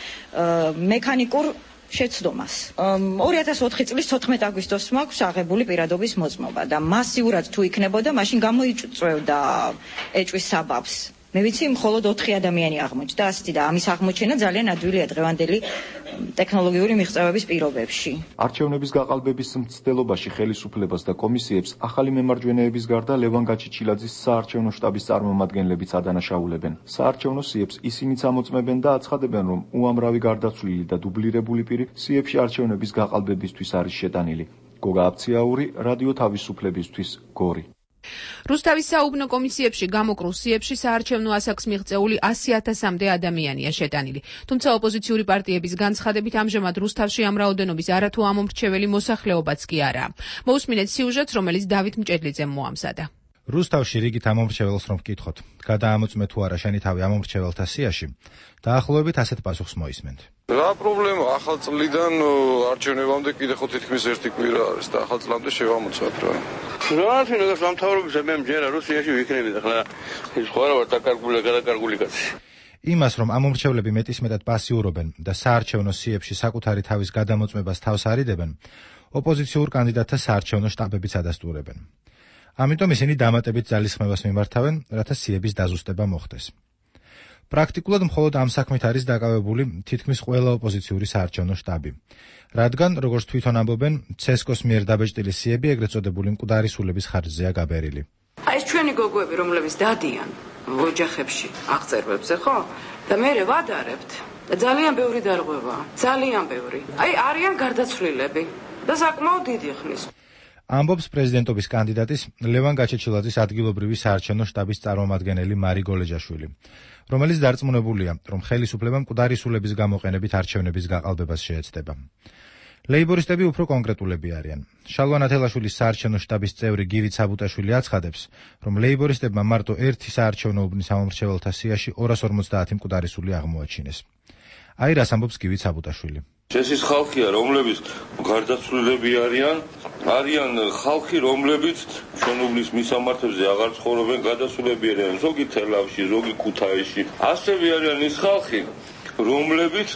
Speaker 15: მექანიკურ შეცდომას. ორი ათას ოთხი წლის თოთხმეტ აგვისტოს მაქვს აღებული პირადობის მოწმობა და მასიურად თუ იქნებოდა, მაშინ გამოიწვევდა ეჭვის საბაბს. მე ვიცი, მხოლოდ ოთხი ადამიანი აღმოჩნდა ასეთი და ამის აღმოჩენა ძალიან ადვილია დღევანდელი ტექნოლოგიური მიღწევების პირობებში.
Speaker 12: არჩევნების გაყალბების მცდელობაში ხელისუფლებას და კომისიებს ახალი მემარჯვენეების გარდა ლევან გაჩიჩილაძის საარჩევნო შტაბის წარმომადგენლებიც ადანაშაულებენ. საარჩევნო სიებს ისინიც ამოწმებენ და აცხადებენ, რომ უამრავი გარდაცვლილი და დუბლირებული პირი სიებში არჩევნების გაყალბებისთვის არის შეტანილი. გოგა აფციაური, რადიო თავისუფლებისთვის, გორი.
Speaker 10: რუსთავის საუბნო კომისიებში გამოკრულ სიებში საარჩევნო ასაკს მიღწეული ასი ათასამდე ადამიანია შეტანილი. თუმცა ოპოზიციური პარტიების განცხადებით ამჟამად რუსთავში ამ რაოდენობის არათუ ამომრჩეველი მოსახლეობაც კი არაა. მოусმინეთ სიუჟეტს, რომელიც დავით მჭედლიძემ მოამზადა.
Speaker 16: რუსთავში რიგით ამომრჩეველს რომ ვკითხოთ, გადაამოწმე თუ არა შენი თავი ამომრჩეველთა სიაში, დაახლოებით ასეთ პასუხს მოისმენთ.
Speaker 6: რა პრობლემა, ახალ წლიდან არჩევნებამდე კიდე ხო თითქმის ერთი კვირა არის და ახალ წლამდე შევამოწმოთ რა.
Speaker 17: რა თქმა უნდა, სამთავრობის მე მჯერა რუსიაში ვიქნები და ხლა ის ხო არა ვარ დაკარგული გადაკარგული კაცი.
Speaker 16: იმას, რომ ამომრჩევლები მეტისმეტად პასიურობენ და საარჩევნო სიებში საკუთარი თავის გადამოწმებას თავს არიდებენ, ოპოზიციურ კანდიდატთა საარჩევნო შტაბებიც ადასტურებენ. ამიტომ ისინი დამატებით ძალისხმევას მიმართავენ, რათა სიების დაზუსტება მოხდეს. პრაქტიკულად მხოლოდ ამ საქმით არის დაკავებული თითქმის ყველა ოპოზიციური საარჩევნო შტაბი. რადგან, როგორც თვითონ ამბობენ, ცესკოს მიერ დაბეჭდილი სიები ეგრეთ წოდებული მკვდარისულების ხარჯზეა გაბერილი.
Speaker 18: აი ეს ჩვენი გოგოები, რომლებიც დადიან ოჯახებში აღწერვებზე, ხო? და მე ვადარებთ. და ძალიან ბევრი დარღვევაა, ძალიან ბევრი. აი არიან გარდაცვლილები და საკმაოდ დიდი ხნის.
Speaker 16: ამბობს პრეზიდენტობის კანდიდატის ლევან გაჩეჩილაძის ადგილობრივი საარჩევნო შტაბის წარმომადგენელი მარი გოლეჯაშვილი, რომელიც დარწმუნებულია, რომ ხელისუფლება მკვდარისულების გამოყენებით არჩევნების გაყალბებას შეეცდება. ლეიბორისტები უფრო კონკრეტულები არიან. შალვა ნათელაშვილის საარჩევნო შტაბის წევრი გივი ცაბუტაშვილი აცხადებს, რომ ლეიბორისტებმა მარტო ერთი საარჩევნო უბნის ამომრჩეველთა სიაში ორას ორმოცდაათი მკვდარისული აღმოაჩინეს. აი რას ამბობს გივი ცაბუტაშვილი.
Speaker 17: ეს ის ხალხია, რომლებიც გარდაცვლილები არიან, არიან ხალხი, რომლებიც ჩვენ უბნის მისამართებზე აღარ ცხოვრობენ, გადასულები არიან, ზოგი თელავში, ზოგი ქუთაისში. ასევე არიან ის ხალხი, რომლებიც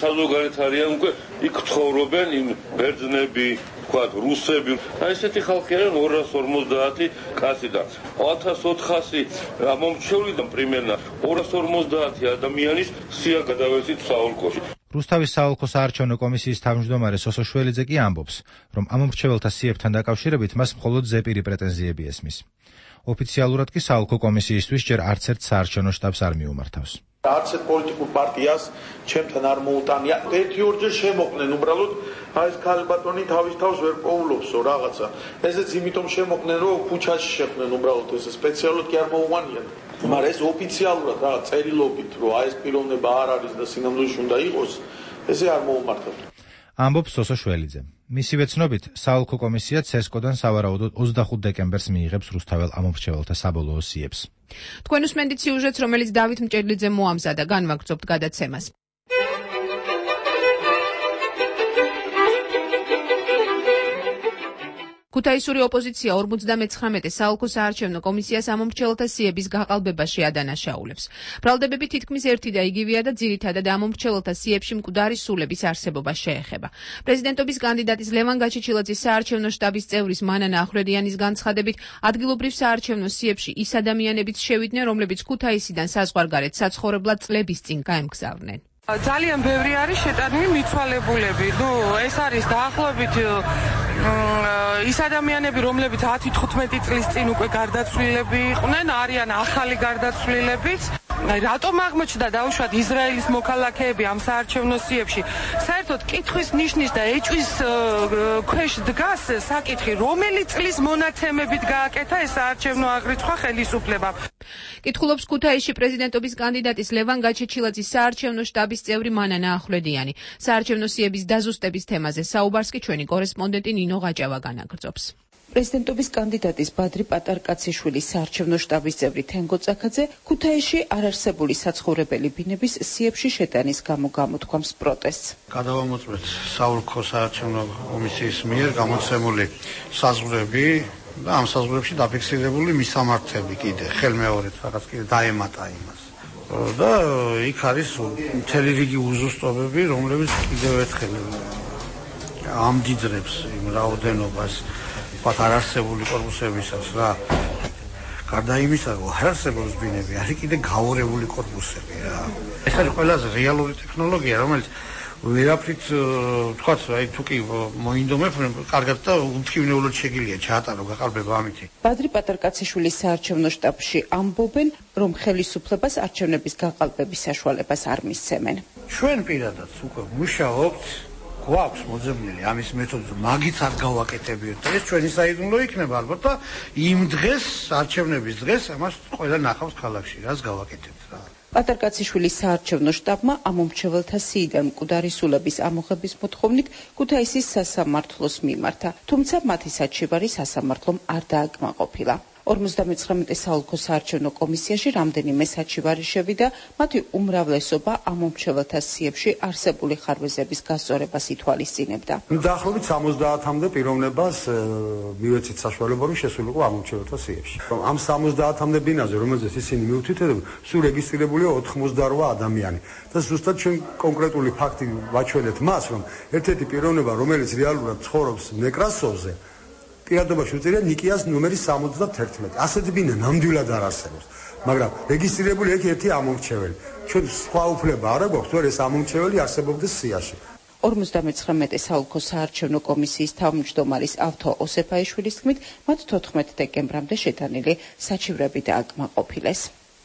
Speaker 17: საზოგადოებით არიან უკვე იქ ცხოვრობენ იმ ბერძნები, ვთქვათ, რუსები. აი ესეთი ხალხი არიან ორას ორმოცდაათი კაცი და ათას ოთხასი ამომრჩევლიდან პრიმერნა ორას ორმოცდაათი ადამიანის სია გადავეცით საოლქოში.
Speaker 16: რუსთავის საოლქო საარჩევნო კომისიის თავმჯდომარე სოსო შველიძე კი ამბობს, რომ ამომრჩეველთა სიებთან დაკავშირებით მას მხოლოდ ზეპირი პრეტენზიები ესმის. ოფიციალურად კი საოლქო კომისიისთვის ჯერ არც ერთ საარჩევნო შტაბს არ მიუმართავს.
Speaker 14: არც ერთ პოლიტიკურ პარტიას ჩემთან არ მოუტანია. ერთი ორჯერ შემოყნენ უბრალოდ აი ეს ქალბატონი თავის თავს ვერ პოულობსო რაღაცა. ესეც იმიტომ შემოყნენ, რომ ქუჩაში შეხვდნენ უბრალოდ ეს სპეციალურად კი არ მოუვანიან. მაგრამ ეს ოფიციალურად რაღაც წერილობით, რომ აი ეს პიროვნება არ არის და სინამდვილეში უნდა იყოს, ესე არ მოუმართებთ.
Speaker 16: ამბობს სოსო შველიძე. მისივე ცნობით, საოლქო კომისია ცესკოდან სავარაუდოდ ოცდახუთ დეკემბერს მიიღებს რუსთაველ ამომრჩეველთა საბოლოო სიებს.
Speaker 10: თქვენ უსმენთ სიუჟეტს, რომელიც დავით მჭედლიძემ მოამზადა, განვაგრძობთ გადაცემას. ქუთაისური ოპოზიცია ორმოცდამეცხრამეტე საოლქო საარჩევნო კომისიას ამომრჩეველთა სიების გაყალბებაში ადანაშაულებს. ბრალდებები თითქმის ერთი და იგივეა და ძირითადად ამომრჩეველთა სიებში მკვდარი სულების არსებობა შეეხება. პრეზიდენტობის კანდიდატის ლევან გაჩეჩილაძის საარჩევნო შტაბის წევრის მანანა ახვედიანის განცხადებით, ადგილობრივ საარჩევნო სიებში ის ადამიანებიც შევიდნენ, რომლებიც ქუთაისიდან საზღვარგარეთ საცხოვრებლად წლების წინ გაემგზავრნენ.
Speaker 19: ძალიან ბევრი არის შეტანილი მიცვალებულები. ნუ ეს არის დაახლოებით ის ადამიანები, რომლებიც ათი თხუთმეტი წლის წინ უკვე გარდაცვლილები იყვნენ, არიან ახალი გარდაცვლილებიც. რატომ აღმოჩნდა დაუშვათ ისრაელის მოქალაქეები ამ საარჩევნო სიებში? საერთოდ კითხვის ნიშნის და ეჭვის ქვეშ დგას საკითხი, რომელი წლის მონაცემებით გააკეთა ეს საარჩევნო აღრიცხვა ხელისუფლებამ.
Speaker 10: კითხულობს ქუთაისში პრეზიდენტობის კანდიდატის ლევან გაჩეჩილაძის საარჩევნო შტაბის წევრი მანანა ახვედიანი. საარჩევნო სიების დაზუსტების თემაზე საუბარს კი ჩვენი კორესპონდენტი ნინო ღაჭავა განაგრძობს.
Speaker 20: პრეზიდენტობის კანდიდატის ბადრი პატარკაციშვილის საარჩევნო შტაბის წევრი თენგო წაქაძე ქუთაისში არარსებული საცხოვრებელი ბინების სიებში შეტანის გამო გამოთქვამს პროტესტს.
Speaker 21: გადავამოწმეთ საოლქო საარჩევნო კომისიის მიერ გამოცემული საზღვრები და ამ საზღვრებში დაფიქსირებული მისამართები კიდე ხელმეორედ რაღაც კიდე დაემატა იმას. და იქ არის მთელი რიგი უზუსტობები, რომლებიც კიდევ ერთხელ ამდიდრებს იმ რაოდენობას ვთქვათ არარსებული კორპუსებისაც რა. გარდა იმისა, რომ არარსებული ბინები არის კიდე გაორებული კორპუსები რა. ეს არის ყველაზე რეალური ტექნოლოგია, რომელიც ვერაფრით ვთქვათ, აი თუ კი მოინდომებ, კარგად და უთხოვნეულად შეგიძლია ჩაატარო გაყალბება ამითი.
Speaker 20: ბადრი პატარკაციშვილის საარჩევნო შტაბში ამბობენ, რომ ხელისუფლებას არჩევნების გაყალბების საშუალებას არ მისცემენ.
Speaker 21: ჩვენ პირადად უკვე მუშაობთ, გვაქვს მოძებნილი ამის მეთოდი, მაგით არ გავაკეთებიოთ და ეს ჩვენი საიდუმლო იქნება ალბათ და იმ დღეს, არჩევნების დღეს ამას ყველა ნახავს ქალაქში, რას გავაკეთებთ რა.
Speaker 20: პატარკაციშვილის საარჩევნო შტაბმა ამომრჩეველთა სიიდან მკვდარი სულების ამოღების მოთხოვნით ქუთაისის სასამართლოს მიმართა, თუმცა მათი საჩივარი სასამართლომ არ დააკმაყოფილა. ორმოცდამეცხრამეტე საოლქო საარჩევნო კომისიაში რამდენიმე საჩივარი შევიდა, მათი უმრავლესობა ამომრჩეველთა სიებში არსებული ხარვეზების გასწორებას ითვალისწინებდა.
Speaker 22: დაახლოებით სამოცდაათამდე პიროვნებას მივეცით საშუალება, რომ შესულიყო ამომრჩეველთა სიებში. ამ სამოცდაათამდე ბინაზე, რომელზეც ისინი მიუთითებდნენ, სულ რეგისტრირებულია ოთხმოცდარვა ადამიანი. და ზუსტად ჩვენ კონკრეტული ფაქტი ვაჩვენეთ მას, რომ ერთ-ერთი პიროვნება, რომელიც რეალურად ცხოვრობს ნეკრასოვზე, პირადობაში უწირია ნიკიას ნომერი სამოცდათერთმეტი. ასეთი ბინა ნამდვილად არ არსებობს, მაგრამ რეგისტრირებული იქ ერთი ამომრჩეველი. ჩვენ სხვა უფლება არ აქვს, რომ ეს ამომრჩეველი არსებობდეს სიაში.
Speaker 20: ორმოცდამეცხრამეტე საოლქო საარჩევნო კომისიის თავმჯდომარის ავთო ოსეფაიშვილის თქმით, მათ თოთხმეტ დეკემბრამდე შეტანილი საჩივრები დააკმაყოფილეს.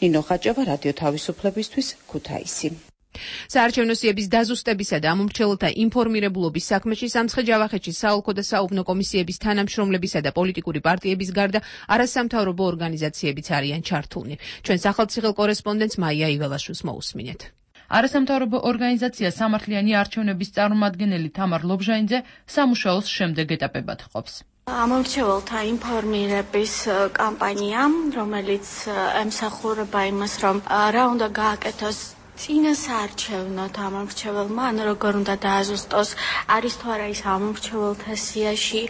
Speaker 20: ნინო ღაჭავა, რადიო თავისუფლებისთვის, ქუთაისი.
Speaker 10: საარჩევნო სიების დაზუსტებისა და ამომრჩეველთა ინფორმირებულობის საქმეში სამცხე-ჯავახეთში საოლქო და საუბნო კომისიების თანამშრომლებისა და პოლიტიკური პარტიების გარდა არასამთავრობო ორგანიზაციებიც არიან ჩართულნი. ჩვენ სახელმწიფო კორესპონდენტს მაია იველაშვილს მოусმინეთ.
Speaker 23: არასამთავრობო ორგანიზაცია სამართლიანი არჩევნების წარმომადგენელი თამარ ლობჟანიძე სამუშაოს შემდეგ ეტაპებად ყოფს.
Speaker 24: ამომრჩეველთა ინფორმირების კამპანია, რომელიც ემსახურება იმას, რომ რა უნდა გააკეთოს წინასაარჩევნოდ ამომრჩეველმა, ან როგორ უნდა დააზუსტოს, არის თუ არა ის ამომრჩეველთა სიაში,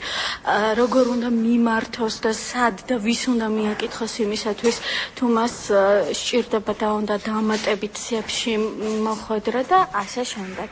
Speaker 24: როგორ უნდა მიმართოს და სად და ვის უნდა მიაკითხოს იმისათვის, თუ მას სჭირდება და უნდა დამატებით სიებში მოხვედრა და ასე შემდეგ.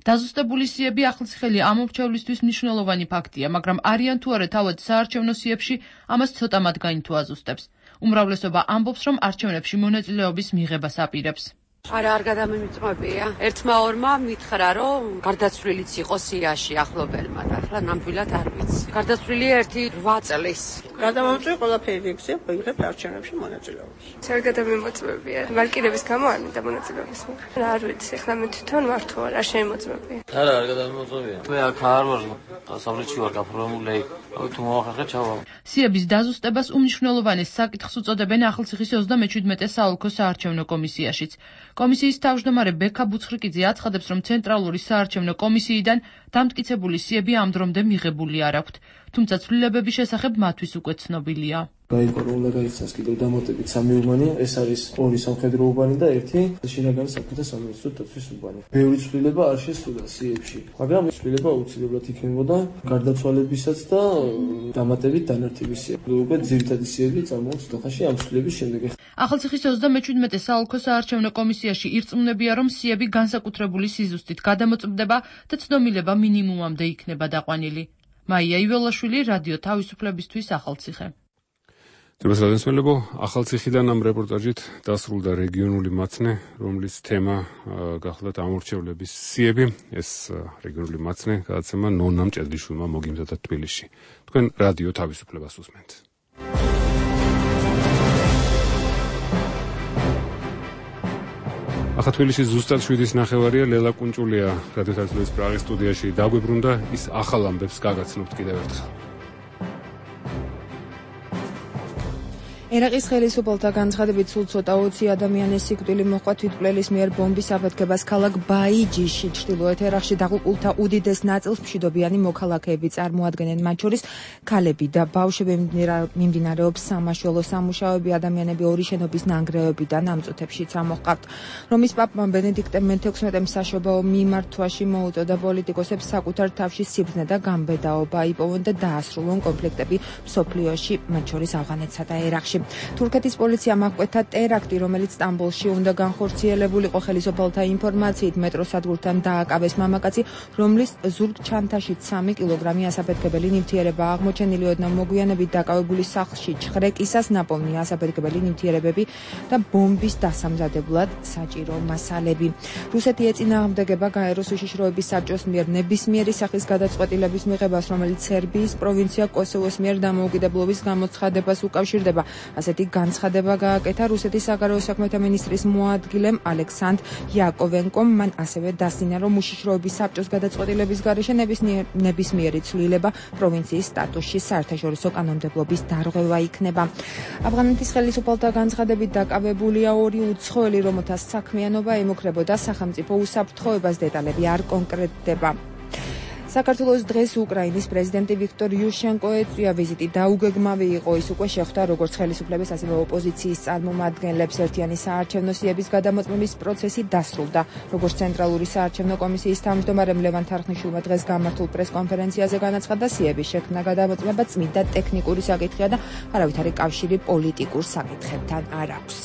Speaker 23: დაზუსტებული სიები ახალციხელი ამომრჩევლისთვის მნიშვნელოვანი ფაქტია, მაგრამ არიან თუ არა თავად საარჩევნო სიებში, ამას ცოტა მათგანი თუ აზუსტებს. უმრავლესობა ამბობს, რომ არჩევნებში მონაწილეობის მიღებას აპირებს.
Speaker 4: არა, არ გადამიმიწმებია. ერთმა ორმა მითხრა, რომ გარდაცვლილიც იყო სიაში ახლობელმა და ახლა ნამდვილად არ ვიცი. გარდაცვლილი ერთი რვა წლის.
Speaker 5: გადამამწვევი ყველაფერი ექცია, ვიღებ არჩევნებში მონაწილეობას.
Speaker 7: არ გადამიმოწმებია. ვარკირების გამო არ მინდა მონაწილეობის მიღება. არ ვიცი, ახლა მე თვითონ ვარ თუ არა, არ შემოწმებია.
Speaker 8: არა, არ გადამიმოწმებია. მე აქ არ ვარ, დასავლეთში ვარ გაფორმებული. თუ მოახერხე ჩავალ.
Speaker 23: სიების დაზუსტებას უმნიშვნელოვანეს საკითხს უწოდებენ ახალციხის ოცდამეჩვიდმეტე საოლქო საარჩევნო კომისიაშიც. კომისიის თავმჯდომარე ბექა ბუცხრიკიძე აცხადებს, რომ ცენტრალური საარჩევნო კომისიიდან დამტკიცებული სიები ამ დრომდე მიღებული არ აქვთ, თუმცა ცვლილებების შესახებ მათთვის უკვე ცნობილია.
Speaker 25: გაიპაროლა გაიცანს კიდევ დამატებით სამი უბანი, ეს არის ორი სამხედრო უბანი და ერთი შინაგანი საქმეთა სამინისტრო დაცვის უბანი. ბევრი ცვლილება არ შესწოდა სიებში, მაგრამ ცვლილება აუცილებლად იქნებოდა გარდაცვალებისაც და დამატებით დანართების სიები. უკვე ძირითადი სიები წარმოაქვს დახაში ამ ცვლილების შემდეგ.
Speaker 23: ახალციხის ოცდამეჩვიდმეტე საოლქო საარჩევნო კომისიაში ირწმუნებია, რომ სიები განსაკუთრებული სიზუსტით გადამოწმდება და ცდომილება მინიმუმამდე იქნება დაყვანილი. მაია იველაშვილი, რადიო თავისუფლებისთვის, ახალციხე.
Speaker 1: თემასადენსმელებო, ახალციხიდან ამ რეპორტაჟით დასრულდა რეგიონული მაცნე, რომლის თემა გახლდათ ამორჩევლების სიები. ეს რეგიონული მაცნე გადაცემა ნონა მჭედლიშვილმა მოგიმზადა თბილისში. თქვენ რადიო თავისუფლებას უსმენთ. ახლა თბილისში ზუსტად შვიდის ნახევარია, ლელა კუნჭულია რადიო თავისუფლების პრაღის სტუდიაში დაგვიბრუნდა, ის ახალ ამბებს გაგაცნობთ კიდევ ერთხელ.
Speaker 2: ერაყის ხელისუფალთა განცხადებით სულ ცოტა ოცი ადამიანის სიკვდილი მოჰყვა თვითმკვლელის მიერ ბომბის აფეთქებას ქალაქ ბაიჯიში, ჩრდილოეთ ერაყში დაღუპულთა უდიდეს ნაწილს მშვიდობიანი მოქალაქეები წარმოადგენენ, მათ შორის ქალები და ბავშვები. მიმდინარეობს სამაშველო სამუშაოები, ადამიანები ორი შენობის ნანგრევებიდან ამ წუთებშიც ამოჰყავთ. რომის პაპმა ბენედიქტე მეთექვსმეტემ საშობაო მიმართვაში მოუწოდა პოლიტიკოსებს საკუთარ თავში სიბრძნე და გამბედაობა იპოვონ და დაასრულონ კონფლიქტები მსოფლიოში, მათ შორის ავღანეთსა და ერაყში. თურქეთის პოლიციამ აღკვეთა ტერაქტი, რომელიც სტამბოლში უნდა განხორციელებულიყო. ხელისუფალთა ინფორმაციით მეტროსადგურთან დააკავეს მამაკაცი, რომლის ზურგ ჩანთაში სამი კილოგრამი ასაფეთქებელი ნივთიერება აღმოჩენილი. ოდნავ მოგვიანებით დაკავებული სახლში ჩხრეკისას ნაპოვნი ასაფეთქებელი ნივთიერებები და ბომბის დასამზადებლად საჭირო მასალები. რუსეთი ეწინააღმდეგება გაეროს უშიშროების საბჭოს მიერ ნებისმიერი სახის გადაწყვეტილების მიღებას, რომელიც სერბიის პროვინცია კოსოვოს მიერ დამოუკიდებლობის გამოცხადებას უკავშირდება. ასეთი განცხადება გააკეთა რუსეთის საგარეო საქმეთა მინისტრის მოადგილემ ალექსანდრ იაკოვენკომ. მან ასევე დასძინა, რომ უშიშროების საბჭოს გადაწყვეტილების გარეშე ნებისმიერი ცვლილება პროვინციის სტატუსში საერთაშორისო კანონმდებლობის დარღვევა იქნება. ავღანეთის ხელისუფალთა განცხადებით დაკავებულია ორი უცხოელი, რომელთა საქმიანობა ემუქრებოდა სახელმწიფო უსაფრთხოებას, დეტალები არ კონკრეტდება. საქართველოს დღეს უკრაინის პრეზიდენტი ვიქტორ იუშენკო ეწვია ვიზიტი დაუგეგმავი იყო. ის უკვე შეხვდა როგორც ხელისუფლების, ასევე ოპოზიციის წარმომადგენლებს. ერთიანი საარჩევნო სიების გადამოწმების პროცესი დასრულდა. როგორც ცენტრალური საარჩევნო კომისიის თავმჯდომარემ ლევან თარხნიშვილმა დღეს გამართულ პრესკონფერენციაზე განაცხადა, სიების შექმნა გადამოწმება წმინდა ტექნიკური საკითხია და არავითარი კავშირი პოლიტიკურ საკითხებთან არ აქვს.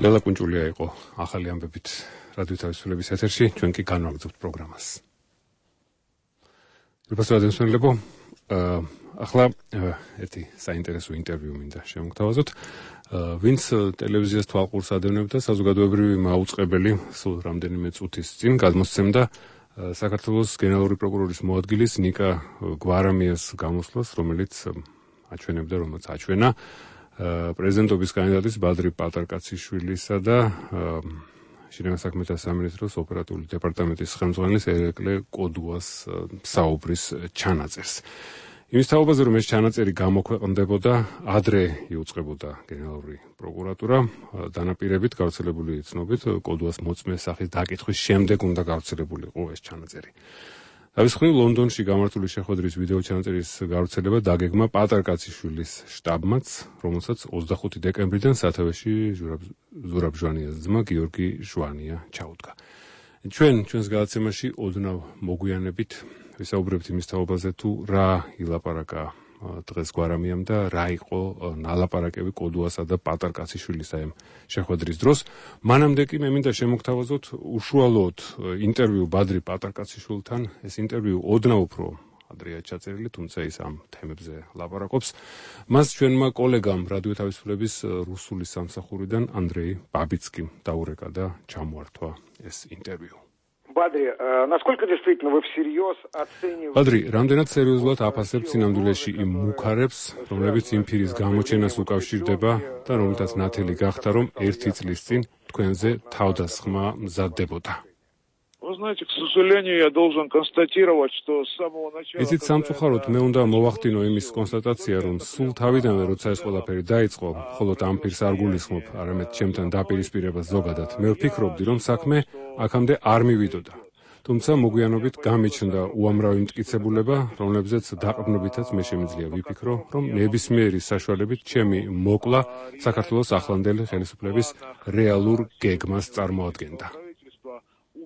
Speaker 1: ლელა კუნჭულია იყო ახალი ამბებით რადიო თავისუფლების ეთერში, ჩვენ კი განვაგრძობთ პროგრამას. რუსეთენსმელებო, ახლა ერთი საინტერესო ინტერვიუ მინდა შევმგთავაზოთ. ვინც ტელევიზიას თვალყურს ადევნებდა, საზოგადოებრივი მაუწყებელი სულ რამდენიმე წუთის წინ გადმოსცემდა საქართველოს გენერალური პროკურორის მოადგილის ნიკა გვარამიას გამოსვლას, რომელიც აჩვენებდა, რომელიც აჩვენა პრეზიდენტობის კანდიდატის ბადრი პატარკაციშვილისა და შინაგან საქმეთა სამინისტროს ოპერატიული დეპარტამენტის ხელმძღვანელის ერეკლე კოდუას საუბრის ჩანაწერს. იმის თაობაზე, რომ ეს ჩანაწერი გამოქვეყნდებოდა, ადრე იუწყებოდა გენერალური პროკურატურა, დანაპირებით გავრცელებული ცნობით, კოდუას მოწმე სახის დაკითხვის შემდეგ უნდა გავრცელებულიყო ეს ჩანაწერი. თავის მხრივ ლონდონში გამართული შეხვედრის ვიდეო ჩანაწერის გავრცელება დაგეგმა პატარკაციშვილის შტაბმაც, რომელსაც ოცდახუთი დეკემბრიდან სათავეში ზურაბ ჟვანიას ძმა გიორგი ჟვანია ჩაუდგა. ჩვენ ჩვენს გადაცემაში ოდნავ მოგვიანებით ვისაუბრებთ იმის თაობაზე თუ რა ილაპარაკა დღეს გვარამიამ და რა იყო ნალაპარაკები კოდუასა და პატარკაციშვილის აი შეხვედრის დროს. მანამდე კი მე მინდა შემოგთავაზოთ უშუალოდ ინტერვიუ ბადრი პატარკაციშვილთან. ეს ინტერვიუ ოდნავ უფრო ადრეა ჩაწერილი, თუმცა ის ამ თემებზე ლაპარაკობს. მას ჩვენმა კოლეგამ რადიო თავისუფლების რუსული სამსახურიდან ანდრეი ბაბიცკიმ დაურეკა და ჩამოართვა ეს ინტერვიუ.
Speaker 3: Бадри, насколько действительно вы всерьез оцениваете?
Speaker 1: Бадри, რამდენად სერიოზულად აფასებთ სინამდვილეში იმ მუქარებს, რომლებიც იმ ფირის გამოჩენას უკავშირდება და რომლითაც ნათელი გახდა, რომ ერთი წლის წინ თქვენზე თავდასხმა მზადდებოდა.
Speaker 9: Вы знаете, к сожалению, я должен констатировать, что с самого начала...
Speaker 1: იცით, სამწუხაროდ მე უნდა მოვახდინო იმის კონსტატაცია, რომ სულ თავიდანვე, როცა ეს ყველაფერი დაიწყო, მხოლოდ ამ ფირს არ გულისხმობ, არამედ ჩემთან დაპირისპირებას ზოგადად, მე ვფიქრობდი, რომ საქმე აქამდე არ მივიდოდა. თუმცა მოგვიანობით გამიჩნდა უამრავი მტკიცებულება, რომლებზეც დაყრდნობითაც მე შემიძლია ვიფიქრო, რომ ნებისმიერი საშუალებით ჩემი მოკლა საქართველოს ახლანდელი ხელისუფლების რეალურ გეგმას წარმოადგენდა.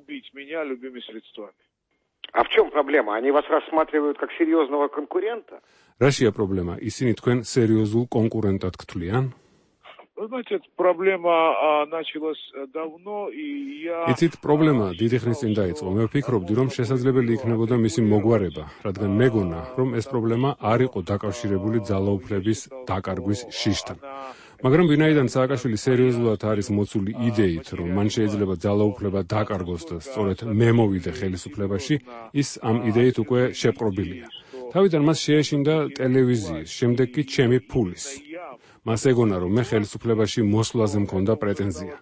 Speaker 9: Убить меня любыми средствами.
Speaker 3: А в чем проблема? Они вас рассматривают как серьезного конкурента?
Speaker 1: Рашия проблема. Ისინი თქვენ სერიოზულ კონკურენტად გთვლიან?
Speaker 9: Вы знаете, эта проблема началась давно, и я...
Speaker 1: იცით, პრობლემა დიდი ხნის წინ დაიწყო. მე ვფიქრობდი, რომ შესაძლებელი იქნებოდა მისი მოგვარება, რადგან მეგონა, რომ ეს პრობლემა არ იყო დაკავშირებული ძალაუფლების დაკარგვის შიშთან. მაგრამ ვინაიდან სააკაშვილი სერიოზულად არის მოცული იდეით, რომ მან შეიძლება ძალაუფლება დაკარგოს და სწორედ მე მოვიდე ხელისუფლებაში, ის ამ იდეით უკვე შეპყრობილია. თავიდან მას შეეშინდა ტელევიზიის, შემდეგ კი ჩემი ფულის. მას ეგონა, რომ მე ხელისუფლებაში მოსვლაზე მქონდა პრეტენზია.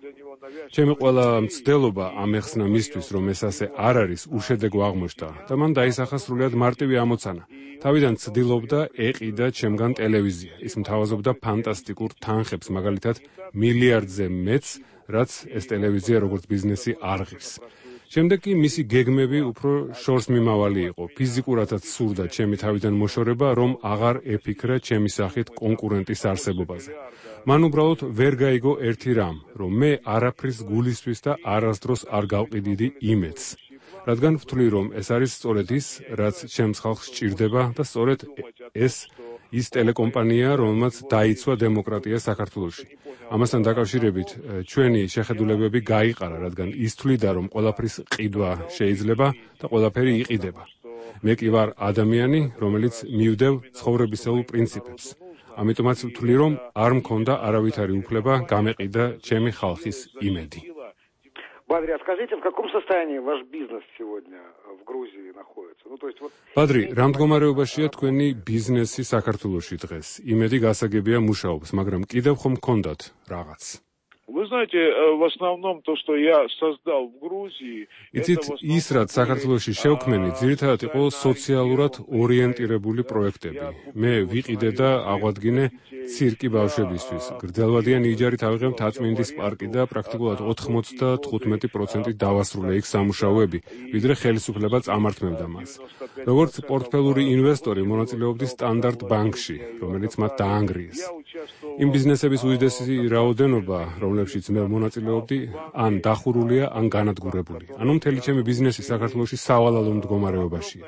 Speaker 1: ჩემი ყველა მცდელობა ამეხსნა მისთვის, რომ ეს ასე არ არის, უშედეგო აღმოჩნდა და მან დაისახა სრულიად მარტივი ამოცანა. თავიდან ცდილობდა ეყიდა ჩემგან ტელევიზია. ის მთავაზობდა ფანტასტიკურ თანხებს, მაგალითად მილიარდზე მეც, რაც ეს ტელევიზია როგორც ბიზნესი არ ღირს. შემდეგ კი მისი გეგმები უფრო შორს მიმავალი იყო. ფიზიკურადაც სურდა ჩემი თავიდან მოშორება, რომ აღარ ეფიქრა ჩემი სახით კონკურენტის არსებობაზე. მან უბრალოდ ვერ გაიგო ერთი რამ, რომ მე არაფრის გულისთვის და არასდროს არ გავყიდიდი იმედს. რადგან ვთვლი, რომ ეს არის სწორედ ის, რაც ჩემს ხალხს სჭირდება და სწორედ ეს ის ტელეკომპანია, რომელმაც დაიცვა დემოკრატია საქართველოში. ამასთან დაკავშირებით ჩვენი შეხედულებები გაიყარა, რადგან ის თვლიდა, რომ ყველაფრის ყიდვა შეიძლება და ყველაფერი იყიდება. მე კი ვარ ადამიანი, რომელიც მივდევ ცხოვრებისეულ პრინციპებს. ამიტომაც ვთვლი, რომ არ მქონდა არავითარი უფლება გამეყიდა ჩემი ხალხის იმედი.
Speaker 3: Бадри, а скажите, в каком состоянии ваш бизнес сегодня в Грузии находится? Ну, то есть вот...
Speaker 1: Бадри, რამ მდგომარეობაშია თქვენი ბიზნესი საქართველოში დღეს? იმედი გასაგებია მუშაობს, მაგრამ კიდევ ხომ გქონდათ რაღაც?
Speaker 9: Вы знаете, в основном то, что я создал в Грузии...
Speaker 1: იცით, ის რაც საქართველოში შევქმენი, ძირითადად იყო სოციალურად ორიენტირებული პროექტები. მე ვიყიდე და აღვადგინე ცირკი ბავშვებისთვის. გრძელვადიანი იჯარით ავიღებ თაწმინდის პარკი და პრაქტიკულად ოთხმოცდათხუთმეტი პროცენტი დავასრულე იქ სამუშაოები, ვიდრე ხელისუფლება წამართმევდა მას. როგორც პორტფელური ინვესტორი მონაწილეობდი სტანდარტ ბანკში, რომელიც მათ დაანგრიეს. იმ ბიზნესების უდიდესი რაოდენობა, რომლებშიც მე მონაწილეობდი, ან დახურულია, ან განადგურებული. ანუ მთელი ჩემი ბიზნესი საქართველოში სავალალო მდგომარეობაშია.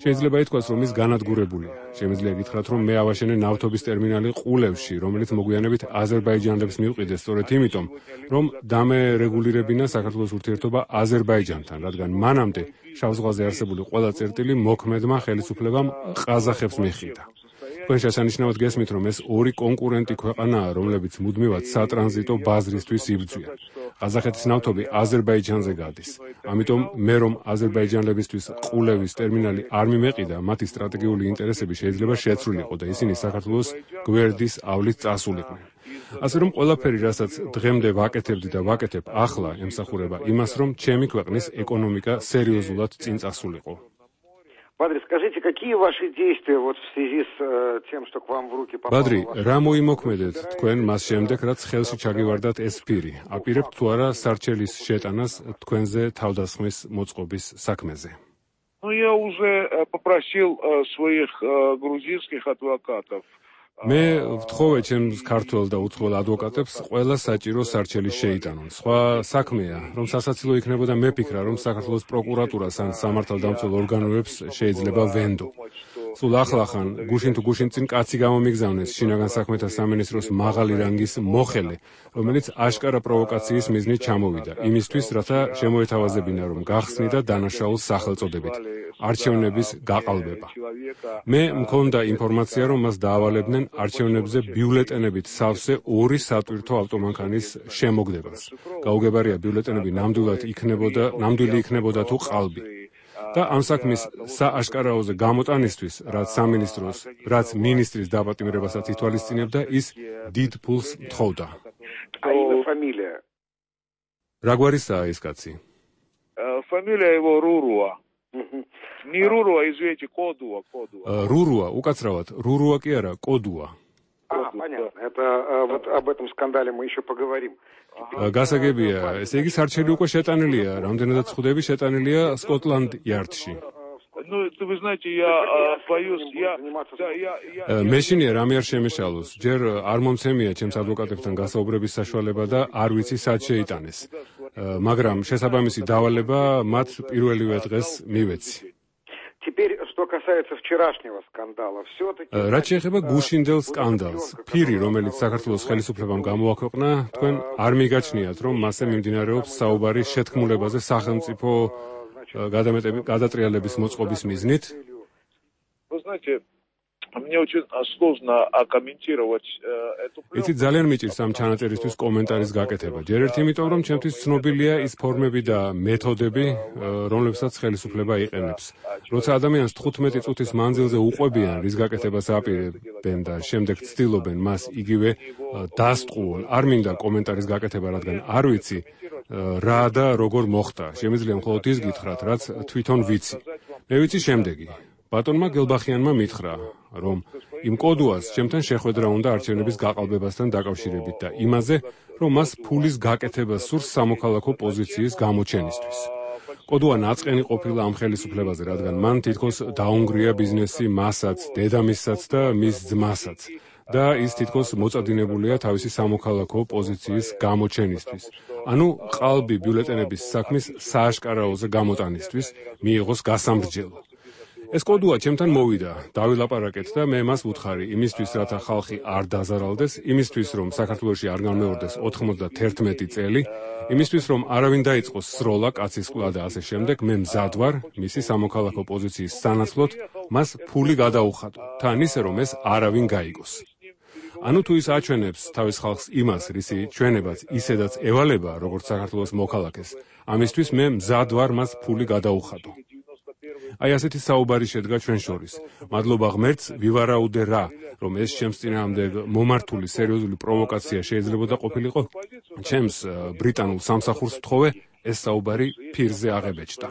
Speaker 1: შეიძლება ითქვას, რომ ის განადგურებულია. შემიძლია გითხრათ, რომ მე ავაშენე ნავთობის ტერმინალი ყულევში, რომელიც მოგვიანებით აზერბაიჯანელებს მიუყიდეს სწორედ იმიტომ, რომ დამერეგულირებინა საქართველოს ურთიერთობა აზერბაიჯანთან, რადგან მანამდე შავ ზღვაზე არსებული ყველა წერტილი მოქმედმა ხელისუფლებამ ყაზახებს მიჰყიდა. თქვენ შესანიშნავად გესმით, რომ ეს ორი კონკურენტი ქვეყანაა, რომლებიც მუდმივად სატრანზიტო ბაზრისთვის იბრძვიან. ყაზახეთის ნავთობი აზერბაიჯანზე გადის. ამიტომ მე რომ აზერბაიჯანელებისთვის ყულევის ტერმინალი არ მიმეყიდა, მათი სტრატეგიული ინტერესები შეიძლება შეცვლილიყო და ისინი საქართველოს გვერდის ავლით წასულიყვნენ. ასე რომ ყველაფერი, რასაც დღემდე ვაკეთებდი და ვაკეთებ ახლა, ემსახურება იმას, რომ ჩემი ქვეყნის ეკონომიკა სერიოზულად წინ წასულიყო.
Speaker 3: Бадри, скажите, какие ваши действия вот в связи с э, тем, что к вам в руки попало?
Speaker 1: Бадри, რა მოიმოქმედეთ თქვენ მას შემდეგ, რაც ხელში ჩაგივარდათ ეს ფირი? აპირებთ თუ არა სარჩელის შეტანას თქვენზე თავდასხმის მოწყობის საქმეზე?
Speaker 9: Ну, я уже попросил своих грузинских адвокатов.
Speaker 1: მე ვთხოვე ჩემს ქართველ და უცხოელ ადვოკატებს ყველა საჭირო სარჩელი შეიტანონ. სხვა საქმეა, რომ სასაცილო იქნებოდა მე ფიქრა, რომ საქართველოს პროკურატურას ან სამართალდამცველ ორგანოებს შეიძლება ვენდო. სულ ახლახან გუშინ თუ გუშინ წინ კაცი გამომიგზავნეს შინაგან საქმეთა სამინისტროს მაღალი რანგის მოხელე, რომელიც აშკარა პროვოკაციის მიზნით ჩამოვიდა, იმისთვის, რათა შემოეთავაზებინა, რომ გახსნიდა დანაშაულს სახელწოდებით არჩევნების გაყალბება. მე მქონდა ინფორმაცია, რომ მას დაავალებდნენ არჩევნებზე ბიულეტენებით სავსე ორი სატვირთო ავტომანქანის შემოგდებას. გაუგებარია ბიულეტენები ნამდვილად იქნებოდა, ნამდვილი იქნებოდა თუ ყალბი. და ამ საქმის სააშკარაოზე გამოტანისთვის, რაც სამინისტროს, რაც მინისტრის დაპატიმრებასაც ითვალისწინებდა, ის დიდ ფულს თხოვდა. რა გვარისაა ეს კაცი?
Speaker 9: Фамилия его Руруа. Не Руруа, извините, Кодуа, Кодуа.
Speaker 1: Руруа, უკაცრავად, Руруа კი არა, Кодуа.
Speaker 3: А, понятно. Это вот об этом скандале мы еще поговорим.
Speaker 1: გასაგებია, ესე იგი სარჩელი უკვე შეტანილია, რამდენადაც ხვდები შეტანილია Scotland Yard-ში.
Speaker 9: Ну, вы знаете, я боюсь, я да, я я
Speaker 1: მეშინია რამე არ შემეშალოს. ჯერ არ მომცემია ჩემს ადვოკატებთან გასაუბრების საშუალება და არ ვიცი სად შეიტანეს. მაგრამ შესაბამისი დავალება მათ პირველივე დღეს მივეცი.
Speaker 3: Теперь, что касается вчерашнего скандала, всё-таки
Speaker 1: რაც შეეხება გუშინდელ სკანდალს, ფირი, რომელიც საქართველოს ხელისუფლებამ გამოაქვეყნა, თქვენ არ მიგაჩნიათ, რომ მასზე მიმდინარეობს საუბარი შეთქმულებაზე სახელმწიფო გადატრიალების მოწყობის მიზნით?
Speaker 9: Вы знаете, мне очень сложно комментировать эту.
Speaker 1: იცით, ძალიან მიჭირს ამ ჩანაწერისთვის კომენტარის გაკეთება. ჯერ ერთ იმიტომ, რომ ჩემთვის ცნობილია ის ფორმები და მეთოდები, რომლებსაც ხელისუფლება იყენებს. როცა ადამიანს თხუთმეტი წუთის მანძილზე უყვებიან, რის გაკეთებას აპირებენ და შემდეგ ცდილობენ მას იგივე დასტყუონ, არ მინდა კომენტარის გაკეთება, რადგან არ ვიცი რა და როგორ მოხდა. შემიძლია მხოლოდ ის გითხრათ, რაც თვითონ ვიცი. მე ვიცი შემდეგი. ბატონმა გელბახიანმა მითხრა, რომ იმ კოდუას ჩემთან შეხვედრა უნდა არჩევნების გაყალბებასთან დაკავშირებით და იმაზე, რომ მას ფულის გაკეთება სურს სამოქალაქო პოზიციის გამოჩენისთვის. კოდუა ნაწყენი ყოფილა ამ ხელისუფლებაზე, რადგან მან თითქოს დაუნგრია ბიზნესი მასაც, დედამისსაც და მის ძმასაც. და ის თითქოს მოწადინებულია თავისი სამოქალაქო პოზიციის გამოჩენისთვის. ანუ ყალბი ბიულეტენების საქმის სააშკარაოზე გამოტანისთვის მიიღოს გასამრჯელო. ეს კოდუა ჩემთან მოვიდა, დავილაპარაკეთ და მე მას ვუთხარი იმისთვის, რათა ხალხი არ დაზარალდეს, იმისთვის, რომ საქართველოში არ განმეორდეს ოთხმოცდაერთმეტი წელი, იმისთვის, რომ არავინ დაიწყოს სროლა, კაცისყლა და ასე შემდეგ, მე მზად ვარ მისი სამოქალაქო პოზიციის სანაცვლოდ მას ფული გადაუხადო, თან ისე, რომ ეს არავინ გაიგოს. ანუ თუ ის აჩვენებს თავის ხალხს იმას, რისი ჩვენებაც ისედაც ევალება, როგორც საქართველოს მოქალაქეს, ამისთვის მე მზად ვარ მას ფული გადაუხადო. აი ასეთი საუბარი შედგა ჩვენ შორის. მადლობა ღმერთს, ვივარაუდე რა, რომ ეს ჩემს წინააღმდეგ მომართული სერიოზული პროვოკაცია შეიძლებოდა ყოფილიყო. ჩემს ბრიტანულ სამსახურს ვთხოვე, ეს საუბარი ფირზე აღებეჭდა.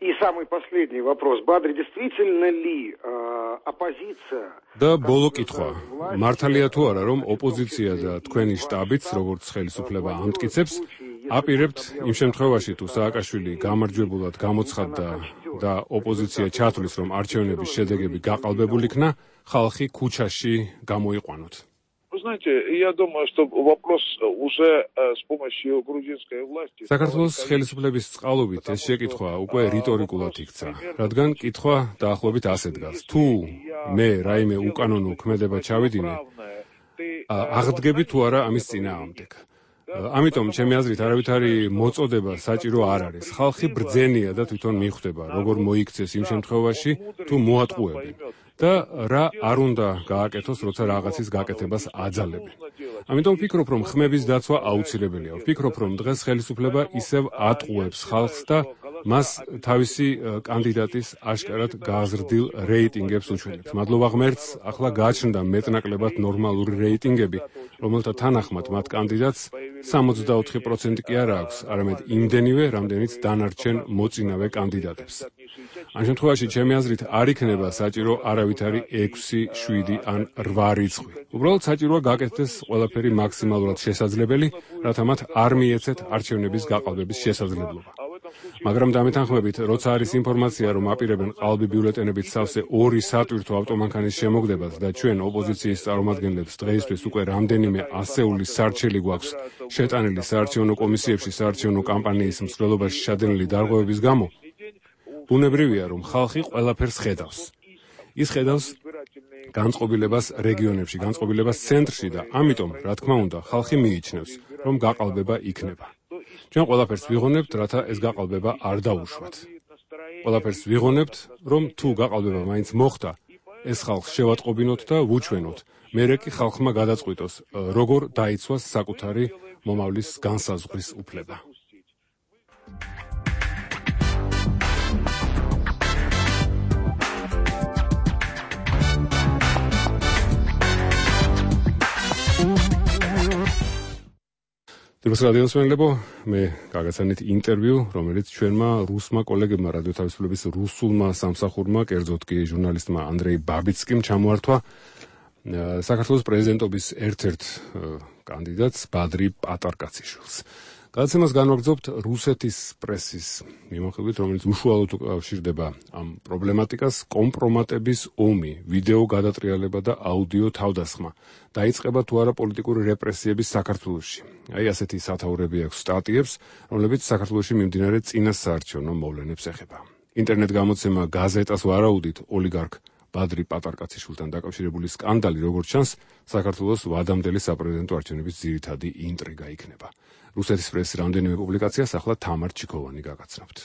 Speaker 3: И самый последний вопрос. Бадри, действительно ли оппозиция?
Speaker 1: და ბოლო კითხვა. მართალია თუ არა, რომ ოპოზიცია და თქვენი შტაბიც, როგორც ხელისუფლება ამტკიცებს, აპირებთ იმ შემთხვევაში, თუ სააკაშვილი გამარჯვებულად გამოცხადდა და ოპოზიცია ჩათვლის, რომ არჩევნების შედეგები გაყალბებულ იქნა, ხალხი ქუჩაში გამოიყვანოთ.
Speaker 9: Вы знаете, я думаю, что вопрос уже с помощью грузинской власти.
Speaker 1: საქართველოს ხელისუფლების წყალობით ეს შეკითხვა უკვე რიტორიკულად იქცა, რადგან კითხვა დაახლოებით ასე დგას. თუ მე რაიმე უკანონო ქმედება ჩავიდინე, აღდგები თუ არა ამის წინააღმდეგ. ამიტომ ჩემი აზრით არავითარი მოწოდება საჭირო არ არის. ხალხი ბრძენია და თვითონ მიხვდება, როგორ მოიქცეს იმ შემთხვევაში, თუ მოატყუებენ. და რა არ უნდა გააკეთოს, როცა რაღაცის გაკეთებას აძალებენ. ამიტომ ვფიქრობ, რომ ხმების დაცვა აუცილებელია. ვფიქრობ, რომ დღეს ხელისუფლება ისევ ატყუებს ხალხს და მას თავისი კანდიდატის აშკარად გააზრდილ რეიტინგებს უჩვენებს. მადლობა ღმერთს, ახლა გააჩნდა მეტნაკლებად ნორმალური რეიტინგები, რომელთა თანახმად მათ კანდიდატს სამოცდაოთხი პროცენტი კი არ აქვს, არამედ იმდენივე, რამდენიც დანარჩენ მოწინავე კანდიდატებს. ამ შემთხვევაში ჩემი აზრით არ იქნება საჭირო არავითარი ექვსი, შვიდი ან რვა რიცხვი. უბრალოდ საჭიროა გაკეთდეს ყველაფერი მაქსიმალურად შესაძლებელი, რათა მათ არ მიეცეთ არჩევნების გაყალბების შესაძლებლობა. მაგრამ დამეთანხმებით, როცა არის ინფორმაცია, რომ აპირებენ ყალბი ბიულეტენებით სავსე ორი სატვირთო ავტომანქანის შემოგდებას და ჩვენ ოპოზიციის წარმომადგენლებს დღეისთვის უკვე რამდენიმე ასეული სარჩელი გვაქვს შეტანილი საარჩევნო კომისიებში საარჩევნო კამპანიის მსვლელობაში შადენილი დარღვევების გამო, ბუნებრივია, რომ ხალხი ყველაფერს ხედავს. ის ხედავს განწყობილებას რეგიონებში, განწყობილებას ცენტრში და ამიტომ, რა თქმა უნდა, ხალხი მიიჩნევს, რომ გაყალბება იქნება. ჩვენ ყველაფერს ვიღონებთ, რათა ეს გაყალბება არ დაუშვათ. ყველაფერს ვიღონებთ, რომ თუ გაყალბება მაინც მოხდა, ეს ხალხს შევატყობინოთ და ვუჩვენოთ. მერე კი ხალხმა გადაწყვიტოს, როგორ დაიცვას საკუთარი მომავლის განსაზღვრის უფლება. Դուրս ռադիոսმენლებო, მე გაგაცანით ინტერვიუ, რომელიც ჩვენმა რუსმა კოლეგებმა რადიო თავისუფლების რუსულმა სამსახურმა, კერძოდ კი ჟურნალისტმა ანდრეი ბაბიცკიმ ჩამოართვა საქართველოს პრეზიდენტობის ერთ-ერთ კანდიდატს ბადრი პატარკაციშვილს. გადაცემას განვაგრძობთ რუსეთის პრესის მიმოხილვით, რომელიც უშუალოდ უკავშირდება ამ პრობლემატიკას, კომპრომატების ომი, ვიდეო გადატრიალება და აუდიო თავდასხმა. დაიწყება თუ არა პოლიტიკური რეპრესიების საქართველოში. აი ასეთი სათაურები აქვს სტატიებს, რომლებიც საქართველოში მიმდინარე წინასაარჩევნო მოვლენებს ეხება. ინტერნეტ გამოცემა გაზეტას ვარაუდით ოლიგარქ ბადრი პატარკაციშვილთან დაკავშირებული სკანდალი, როგორც ჩანს, საქართველოს ვადამდელი საპრეზიდენტო არჩევნების ძირითადი ინტრიგა იქნება. რუსეთის პრესის რამდენიმე პუბლიკაციას ახლა თამარ ჩიქოვანი გაგაცნობთ.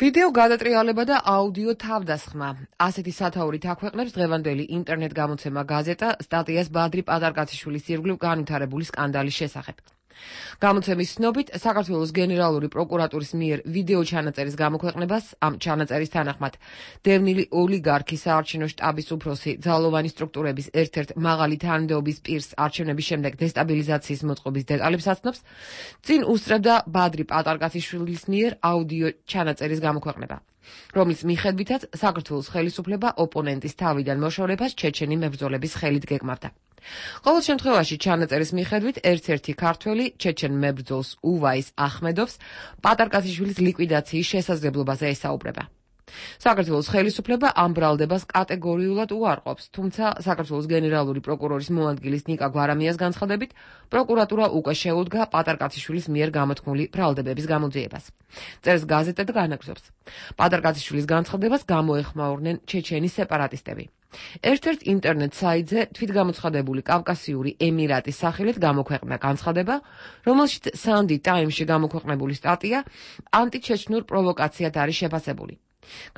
Speaker 6: ვიდეო გადატრიალება და აუდიო თავდასხმა. ასეთი სათაურით აქვეყნებს დღევანდელი ინტერნეტ გამოცემა გაზეტა სტატიას ბადრი პატარკაციშვილის ირგვლივ განვითარებული სკანდალის შესახებ. გამოცემის ცნობით, საქართველოს გენერალური პროკურატურის მიერ ვიდეო ჩანაწერის გამოქვეყნებას, ამ ჩანაწერის თანახმად, დევნილი ოლიგარქის საარჩევნო შტაბის უფროსი ძალოვანი სტრუქტურების ერთ-ერთ მაღალი თანამდებობის პირს არჩევნების შემდეგ დესტაბილიზაციის მოწყობის დეტალებს აცნობს, წინ უსწრებდა ბადრი პატარკაციშვილის მიერ აუდიო ჩანაწერის გამოქვეყნება, რომლის მიხედვითაც საქართველოს ხელისუფლება ოპონენტის თავიდან მოშორებას ჩეჩენი მებრძოლების ხელით გეგმავდა. ყოველ შემთხვევაში ჩანაწერის მიხედვით ერთ-ერთი ქართველი ჩეჩენ მებრძოლს უვაის ახმედოვს პატარკაციშვილის ლიკვიდაციის შესაძლებლობაზე ესაუბრება. საქართველოს ხელისუფლება ამ ბრალდებას კატეგორიულად უარყოფს, თუმცა საქართველოს გენერალური პროკურორის მოადგილის ნიკა გვარამიას განცხადებით, პროკურატურა უკვე შეუდგა პატარკაციშვილის მიერ გამოთქმული ბრალდებების გამოძიებას. წერს გაზეტა და განაგრძობს. პატარკაციშვილის განცხადებას გამოეხმაურნენ ჩეჩენის სეპარატისტები. ერთ-ერთ ინტერნეტ საიტზე თვითგამოცხადებული კავკასიური ემირატის სახელით გამოქვეყნა განცხადება, რომელშიც Sunday Times-ში გამოქვეყნებული სტატია ანტიჩეჩნურ პროვოკაციად არის შეფასებული.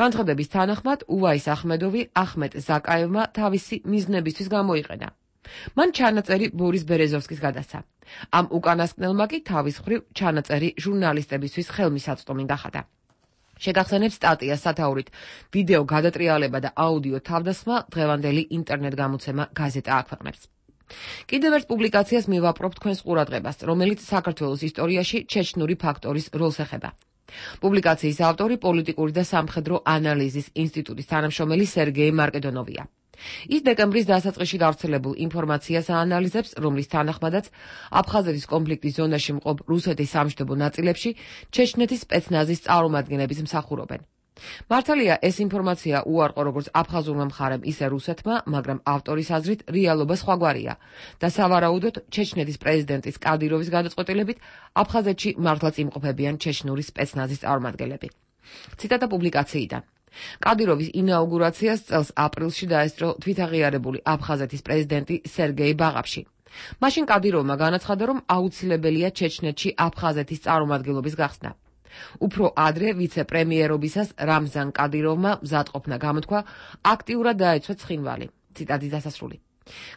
Speaker 6: განცხადების თანახმად, უვაის ახმედოვი ახმედ ზაკაევმა თავისი მიზნებისთვის გამოიყენა. მან ჩანაწერი ბორის ბერეზოვსკის გადასცა. ამ უკანასკნელმა კი თავის მხრივ ჩანაწერი ჟურნალისტებისთვის ხელმისაწვდომი გახადა. შეგახსენებთ სტატიას სათაურით ვიდეო გადატრიალება და აუდიო თავდასხმა დღევანდელი ინტერნეტ გამოცემა გაზეტა აქვეყნებს. კიდევ ერთ პუბლიკაციას მივაპყრობ თქვენს ყურადღებას, რომელიც საქართველოს ისტორიაში ჩეჩნური ფაქტორის როლს ეხება. პუბლიკაციის ავტორი პოლიტიკური და სამხედრო ანალიზის ინსტიტუტის თანამშრომელი სერგეი მარკედონოვია. ის დეკემბრის დასაწყისში გავრცელებულ ინფორმაციას აანალიზებს, რომლის თანახმადაც აფხაზეთის კონფლიქტის ზონაში მყოფ რუსეთის სამშვიდობო ნაწილებში ჩეჩნეთის სპეცნაზის წარმომადგენლების მსახურობენ. მართალია, ეს ინფორმაცია უარყო როგორც აფხაზურმა მხარემ, ისე რუსეთმა, მაგრამ ავტორის აზრით რეალობა სხვაგვარია და სავარაუდოდ ჩეჩნეთის პრეზიდენტის კადიროვის გადაწყვეტილებით აფხაზეთში მართლაც იმყოფებიან ჩეჩნური სპეცნაზის წარმომადგენლები. ციტატა პუბლიკაციიდან. კადიროვის ინაუგურაციას წელს აპრილში დაესწრო თვითაღიარებული აფხაზეთის პრეზიდენტი სერგეი ბაღაფში. მაშინ კადიროვმა განაცხადა, რომ აუცილებელია ჩეჩნეთში აფხაზეთის წარმომადგენლობის გახსნა. უფრო ადრე ვიცე-პრემიერობისას რამზან კადიროვმა მზადყოფნა გამოთქვა აქტიურად დაეცვა ცხინვალი. ციტატის დასასრული.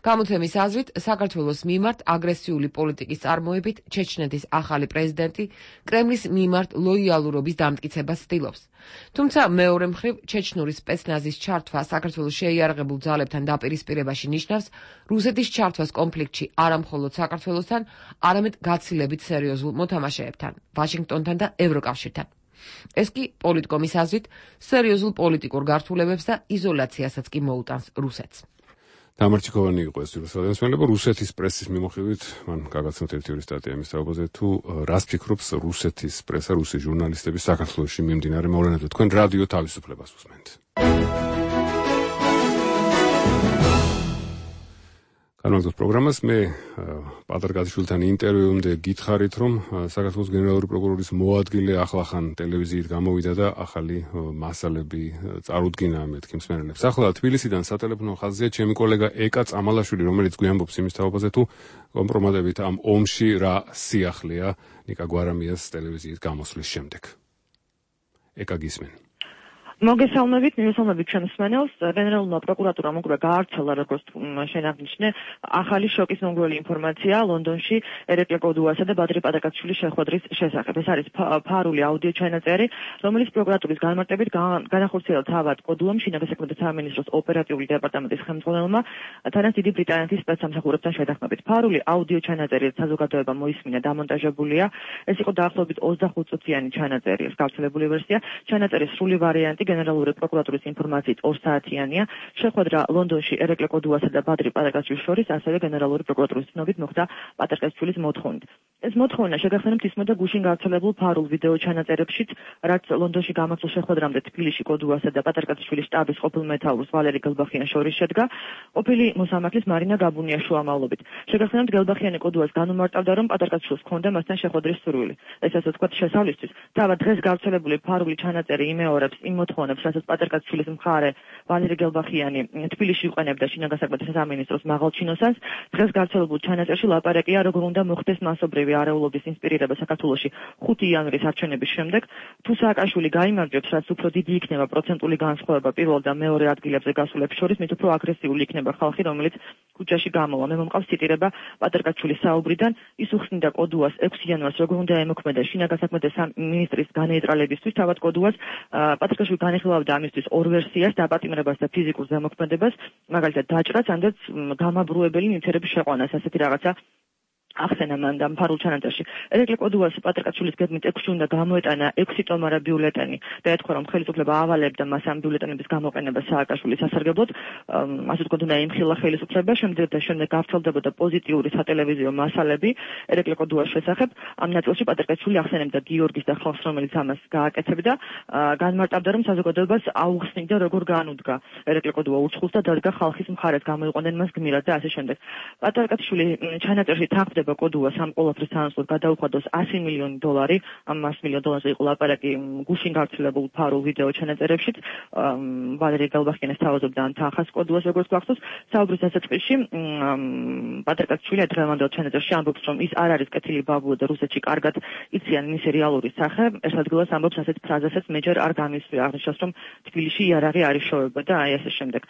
Speaker 6: გამოცემის აზრით, საქართველოს მიმართ აგრესიული პოლიტიკის წარმოებით ჩეჩნეთის ახალი პრეზიდენტი კრემლის მიმართ ლოიალურობის დამტკიცებას ცდილობს. თუმცა მეორე მხრივ ჩეჩნური სპეცნაზის ჩართვა საქართველოს შეიარაღებულ ძალებთან დაპირისპირებაში ნიშნავს რუსეთის ჩართვას კონფლიქტში არა მხოლოდ საქართველოსთან, არამედ გაცილებით სერიოზულ მოთამაშეებთან, ვაშინგტონთან და ევროკავშირთან. ეს კი პოლიტკომის აზრით სერიოზულ პოლიტიკურ გართულებებს და იზოლაციასაც კი მოუტანს რუსეთს.
Speaker 1: დამარჩიქოვანი იყო ეს რუსეთის რუსეთის პრესის მიმოხილვით მან გაგაცნოთ ერთი ორი სტატია იმის თაობაზე თუ რას ფიქრობს რუსეთის პრესა რუსი ჟურნალისტები საქართველოში მიმდინარე მოვლენებზე თქვენ რადიო თავისუფლებას უსმენთ განვაგრძობთ პროგრამას მე პატარ გაძიშვილთან ინტერვიუმდე გითხარით რომ საქართველოს გენერალური პროკურორის მოადგილე ახლახან ტელევიზიით გამოვიდა და ახალი მასალები წარუდგინა მეთქი მსმენელებს ახლა თბილისიდან სატელეფონო ხაზზეა ჩემი კოლეგა ეკა წამალაშვილი რომელიც გვიამბობს იმის თაობაზე თუ კომპრომატებით ამ ომში რა სიახლეა ნიკა გვარამიას ტელევიზიით გამოსვლის შემდეგ ეკა გისმენ
Speaker 11: მოგესალმებით, მივესალმებით ჩვენს მსმენელს. გენერალურმა პროკურატურამ უკვე გაავრცელა, როგორც შენ აღნიშნე, ახალი შოკის მომგვრელი ინფორმაცია ლონდონში ერეკლე კოდუასა და ბადრი პატაკაციშვილის შეხვედრის შესახებ. ეს არის ფარული აუდიო ჩანაწერი, რომელიც პროკურატურის განმარტებით განახორციელა თავად კოდუამ შინაგან საქმეთა სამინისტროს ოპერატიული დეპარტამენტის ხელმძღვანელმა თანაც დიდი ბრიტანეთის სპეცსამსახურებთან შეთანხმებით. ფარული აუდიო ჩანაწერი საზოგადოებამ მოისმინა დამონტაჟებულია. ეს იყო დაახლოებით ოცდახუთ წუთიანი ჩანაწერი, ეს გავრცელებული ვერსია. ჩანაწერის სრული ვარიანტი გენერალური პროკურატურის ინფორმაციით ორ საათიანია. შეხვედრა ლონდონში ერეკლე კოდუასა და ბადრი პატაკაშვილის შორის ასევე გენერალური პროკურატურის ცნობით მოხდა პატაკაშვილის მოთხოვნით. ეს მოთხოვნა შეგახსენებთ ისმოდა გუშინ გავრცელებულ ფარულ ვიდეო ჩანაწერებშიც, რაც ლონდონში გამართულ შეხვედრამდე თბილისში კოდუასა და პატაკაშვილის შტაბის ყოფილ მეთაურს ვალერი გელბახიანს შორის შედგა ყოფილი მოსამართლის მარინა გაბუნიას შუამავლობით. შეგახსენებთ გელბახიანი კოდუას განუმარტავდა, რომ პატაკაშვილს ჰქონდა მასთან შეხვედრის სურვილი. ეს ასე ვთქვათ შესავლისთვის. თავად დღეს გავრცელებული ფარული ჩანაწერი იმეორებს იმ მოთხოვნებს, რასაც პატაკაშვილის მხარე ვალერი გელბახიანი თბილისში იყენებდა შინაგან საქმეთა სამინისტროს მაღალჩინოსანს. დღეს გავრცელებულ ჩანაწერში ლაპარაკია, როგორ უნდა მოხდეს მასობრივი არეულობის ინსპირირება საქართველოში ხუთი იანვრის არჩევნების შემდეგ. თუ სააკაშვილი გაიმარჯვებს, რაც უფრო დიდი იქნება პროცენტული განსხვავება პირველ და მეორე ადგილებზე გასულებს შორის, მით უფრო აგრესიული იქნება ხალხი, რომელიც ქუჩაში გამოვა. მე მომყავს ციტირება პატაკაშვილის საუბრიდან, ის უხსნიდა კოდუას ექვსი იანვარს, როგორ უნდა ემოქმედა შინაგან საქმეთა სამინისტრის განეიტრალებისთვის. თავად კოდუას პატაკაშვილი განიხილავდა ამისთვის ორ ვერსიას, დაპატიმრებას და ფიზიკურ ზემოქმედებას, მაგალითად დაჭრას, ანდაც გამაბრუებელი ნივთიერების შეყვანას, ასეთი რაღაცა ახსენა მან და ფარულ ჩანაწერში. ერეკლე კოდუას პატაკაშვილის გეგმით ექვსი უნდა გამოეტანა ექვსი ტომარა ბიულეტენი და ეთქვა, რომ ხელისუფლება ავალებდა მას ამ ბიულეტენების გამოყენება სააკაშვილის სასარგებლოდ, ასე ვთქვათ, უნდა ემხილა ხელისუფლება, შემდეგ და შემდეგ გავრცელდებოდა პოზიტიური სატელევიზიო მასალები ერეკლე კოდუას შესახებ. ამ ნაწილში პატაკაშვილი ახსენებდა გიორგის და ხალხს, რომელიც ამას გააკეთებდა, განმარტავდა, რომ საზოგადოებას აუხსნიდა, როგორ განუდგა ერეკლე კოდუა უცხოს და დადგა ხალხის მხარეს, გამოიყვანენ მას გმირად და ასე შემდეგ. პატაკაშვილი ჩანაწერში თანხმდება კოდუა სამ ყოველთვის თანასწორ გადაუხადოს ასი მილიონი დოლარი, ამ ასი მილიონი დოლარზე იყო ლაპარაკი გუშინ გავრცელებულ ფარულ ვიდეო ჩანაწერებშიც. ვალერი გელბახიანის თავაზობდა ამ თანხას კოდუას, როგორც გვახსოვს. საუბრის დასაწყისში პატაკაშვილი დღევანდელ ჩანაწერში ამბობს, რომ ის არ არის კეთილი ბაბუა და რუსეთში კარგად იციან მისი რეალური სახე. ეს ადგილას ამბობს ასეთ ფრაზასაც მე ჯერ არ გამისვია, აღნიშნავს, რომ თბილისში იარაღი არ იშოვება და აი ასე შემდეგ.